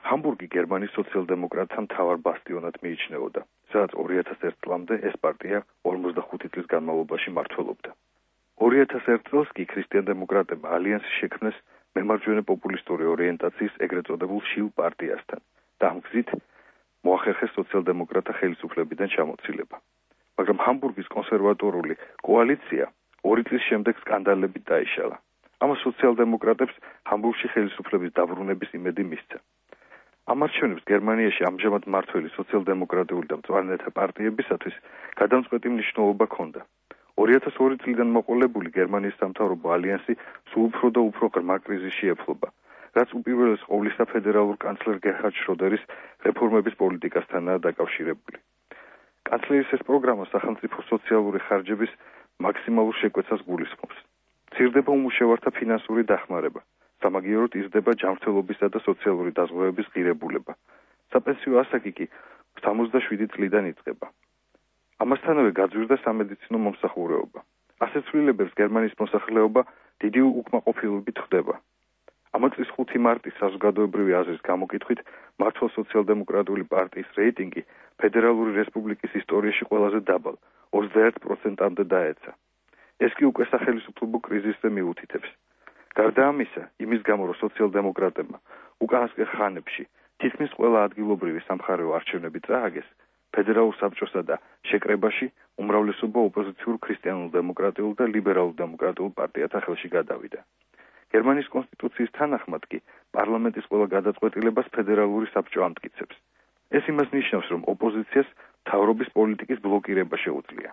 S20: ჰამბურგი გერმანიის სოციალ-დემოკრატთა მთავარ ბასტიონად მიიჩნეოდა, სადაც ორი ათას ერთ წლამდე ეს პარტია ორმოცდახუთი წლის განმავლობაში მმართველობდა. ორი ათას ერთ წელს კი ქრისტიან-დემოკრატებმა ალიანსი შექმნეს მემარჯვენე პოპულისტური ორიენტაციის ეგრეთ წოდებულ შილ პარტიასთან და ამ გზით მოახერხეს სოციალ-დემოკრატთა ხელისუფლებიდან ჩამოცილება. მაგრამ ჰამბურგის კონსერვატორული კოალიცია ორი წლის შემდეგ სკანდალებით დაიშალა. ამას სოციალ-დემოკრატებს ჰამბურგში ხელისუფლების დაბრუნების იმედი მისცა. ამ არჩევნებს გერმანიაში ამჟამად მმართველი სოციალ-დემოკრატიული და მწვანეთა პარტიებისათვის გადამწყვეტი მნიშვნელობა ჰქონდა. ორი ათას ორი წლიდან მოყოლებული გერმანიის სამთავრობო ალიანსი სულ უფრო და უფრო ღრმა კრიზისში ეფლობა, რაც უპირველეს ყოვლისა ფედერალურ კანცლერ გერჰარდ შროდერის რეფორმების პოლიტიკასთანაა დაკავშირებული. კანცლერის ეს პროგრამა სახელმწიფო სოციალური ხარჯების მაქსიმალურ შეკვეცას გულისხმობს. მცირდება უმუშევართა ფინანსური დახმარება, სამაგიეროდ იზრდება ჯანმრთელობისა და სოციალური დაზღვევების ღირებულება. საპენსიო ასაკი კი სამოცდაშვიდი წლიდან იწყება. ამასთანავე გაძვირდა სამედიცინო მომსახურეობა. ასეთ ცვლილებებს გერმანიის მოსახლეობა დიდი უკმაყოფილებით ხვდება. ამ წლის ხუთი მარტის საზოგადოებრივი აზრის გამოკითხვით მართლ სოციალ-დემოკრატიული პარტიის რეიტინგი ფედერალური რესპუბლიკის ისტორიაში ყველაზე დაბალ ოცდაერთ პროცენტამდე დაეცა. ეს კი უკვე სახელმწიფო კრიზისზე მიუთითებს. გარდა ამისა, იმის გამო რომ სოციალ-დემოკრატებმა უკანასკნელ ხანებში თითქმის ყველა ადგილობრივი სამხარეო არჩევნები წააგეს, ფედერალურ საბჭოსა და შეკრებაში უმრავლესობა ოპოზიციურ ქრისტიანულ-დემოკრატიულ და ლიბერალურ-დემოკრატიულ პარტიათა ხელში გადავიდა. გერმანიის კონსტიტუციის თანახმად კი პარლამენტის ყველა გადაწყვეტილებას ფედერალური საბჭო ამტკიცებს. ეს იმას ნიშნავს, რომ ოპოზიციას მთავრობის პოლიტიკის ბლოკირება შეუძლია.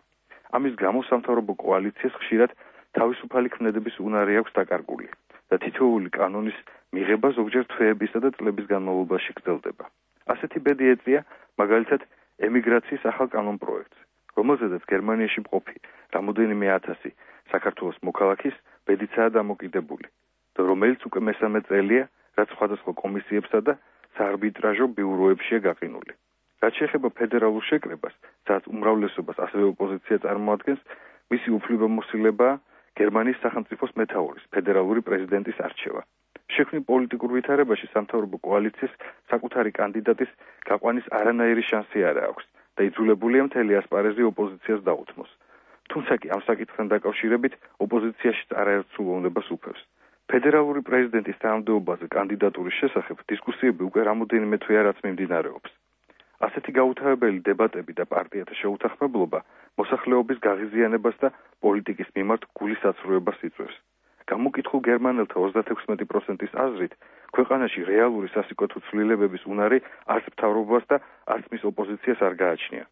S20: ამის გამო სამთავრობო კოალიციას ხშირად თავისუფალი ქმედების უნარი აქვს დაკარგული და თითოეული კანონის მიღება ზოგჯერ თვეებისა და წლების განმავლობაში გრძელდება. ასეთი ბედი ეწია მაგალითად ემიგრაციის ახალ კანონ პროექტს, რომელზედაც გერმანიაში მყოფი რამოდენიმე ათასი საქართველოს მოქალაქის ბედიცაა დამოკიდებული და რომელიც უკვე მესამე წელია, რაც სხვადასხვა კომისიებსა და საარბიტრაჟო ბიუროებშია გაყინული. რაც შეეხება ფედერალურ შეკრებას, სადაც უმრავლესობას ასევე ოპოზიცია წარმოადგენს, მისი უფლებამოსილებაა გერმანიის სახელმწიფოს მეთაურის, ფედერალური პრეზიდენტის არჩევა. შექმნილ პოლიტიკურ ვითარებაში სამთავრობო კოალიციას საკუთარი კანდიდატის გაყვანის არანაირი შანსი არ აქვს და იძულებულია მთელი ასპარეზი ოპოზიციას დაუთმოს. თუმცა კი ამ საკითხთან დაკავშირებით ოპოზიციაში არაერთ სულოვნებას უფევს. ფედერალური პრეზიდენტის თანამდებობაზე კანდიდატურის შესახებ დისკუსიები უკვე რამოდენიმე თვეა რაც მიმდინარეობს. ასეთი გაუთავებელი დებატები და პარტიათა შეუთანხმებლობა მოსახლეობის გაღიზიანებას და პოლიტიკის მიმართ გულისაცრუებას იწვევს. გამოკითხულ გერმანელთა ოცდათექვსმეტი პროცენტის აზრით, ქვეყანაში რეალური სასიკეთო ცვლილებების უნარი არც მთავრობას და არც მის ოპოზიციას არ გააჩნია.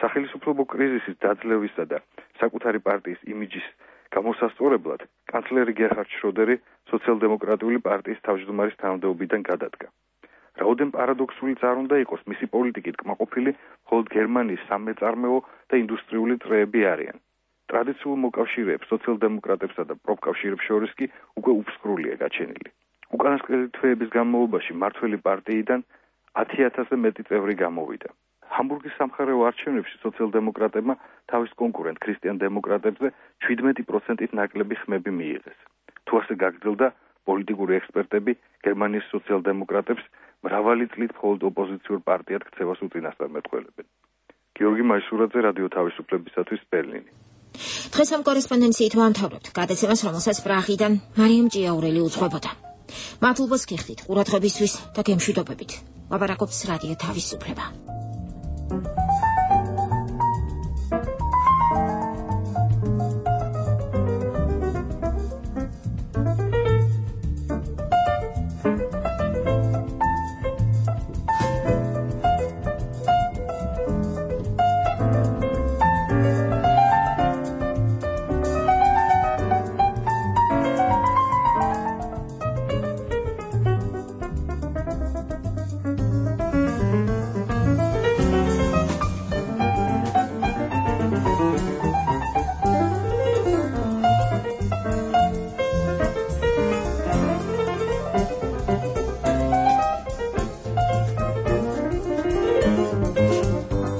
S20: სახელმწიფო კრიზისის დაძლევისა და საკუთარი პარტიის იმიჯის გამოსასწორებლად, კანცლერი გერჰარდ შროდერი სოციალ-დემოკრატიული პარტიის თავმჯდომარის თანამდებობიდან გადადგა. რაოდენ პარადოქსულიც არ უნდა იყოს, მისი პოლიტიკით კმაყოფილი მხოლოდ გერმანიის სამეწარმეო და ინდუსტრიული წრეები არიან. ტრადიციულ მოკავშირეებს, სოციალ-დემოკრატებსა და პროფკავშირებს შორის კი უკვე უფსკრულია გაჩენილი. უკანასკნელი თვეების განმავლობაში მმართველი პარტიიდან ათი ათასზე მეტი წევრი გამოვიდა. ჰამბურგის სამხარეო არჩევნებში სოციალ-დემოკრატებმა თავის კონკურენტ ქრისტიან-დემოკრატებზე შვიდმეტი პროცენტით ნაკლები ხმები მიიღეს. თუ ასე გაგრძელდა, პოლიტიკური ექსპერტები გერმანიის სოციალ-დემოკრატებს მრავალი წლით მხოლოდ ოპოზიციურ პარტიად ქცევას უწინასწარ მეტყველებენ. გიორგი მაისურაძე, რადიო თავისუფლებისათვის, ბერლინი.
S1: დღეს ამ კორესპონდენციით ვამთავრებთ გადაცემას, რომელსაც პრაღიდან მარიამ ჭიაურელი უძღვებოდა. მადლობას გიხდით ყურადღებისთვის და გემშვიდობებით. ლაპარაკობს რადიო თავისუფლება.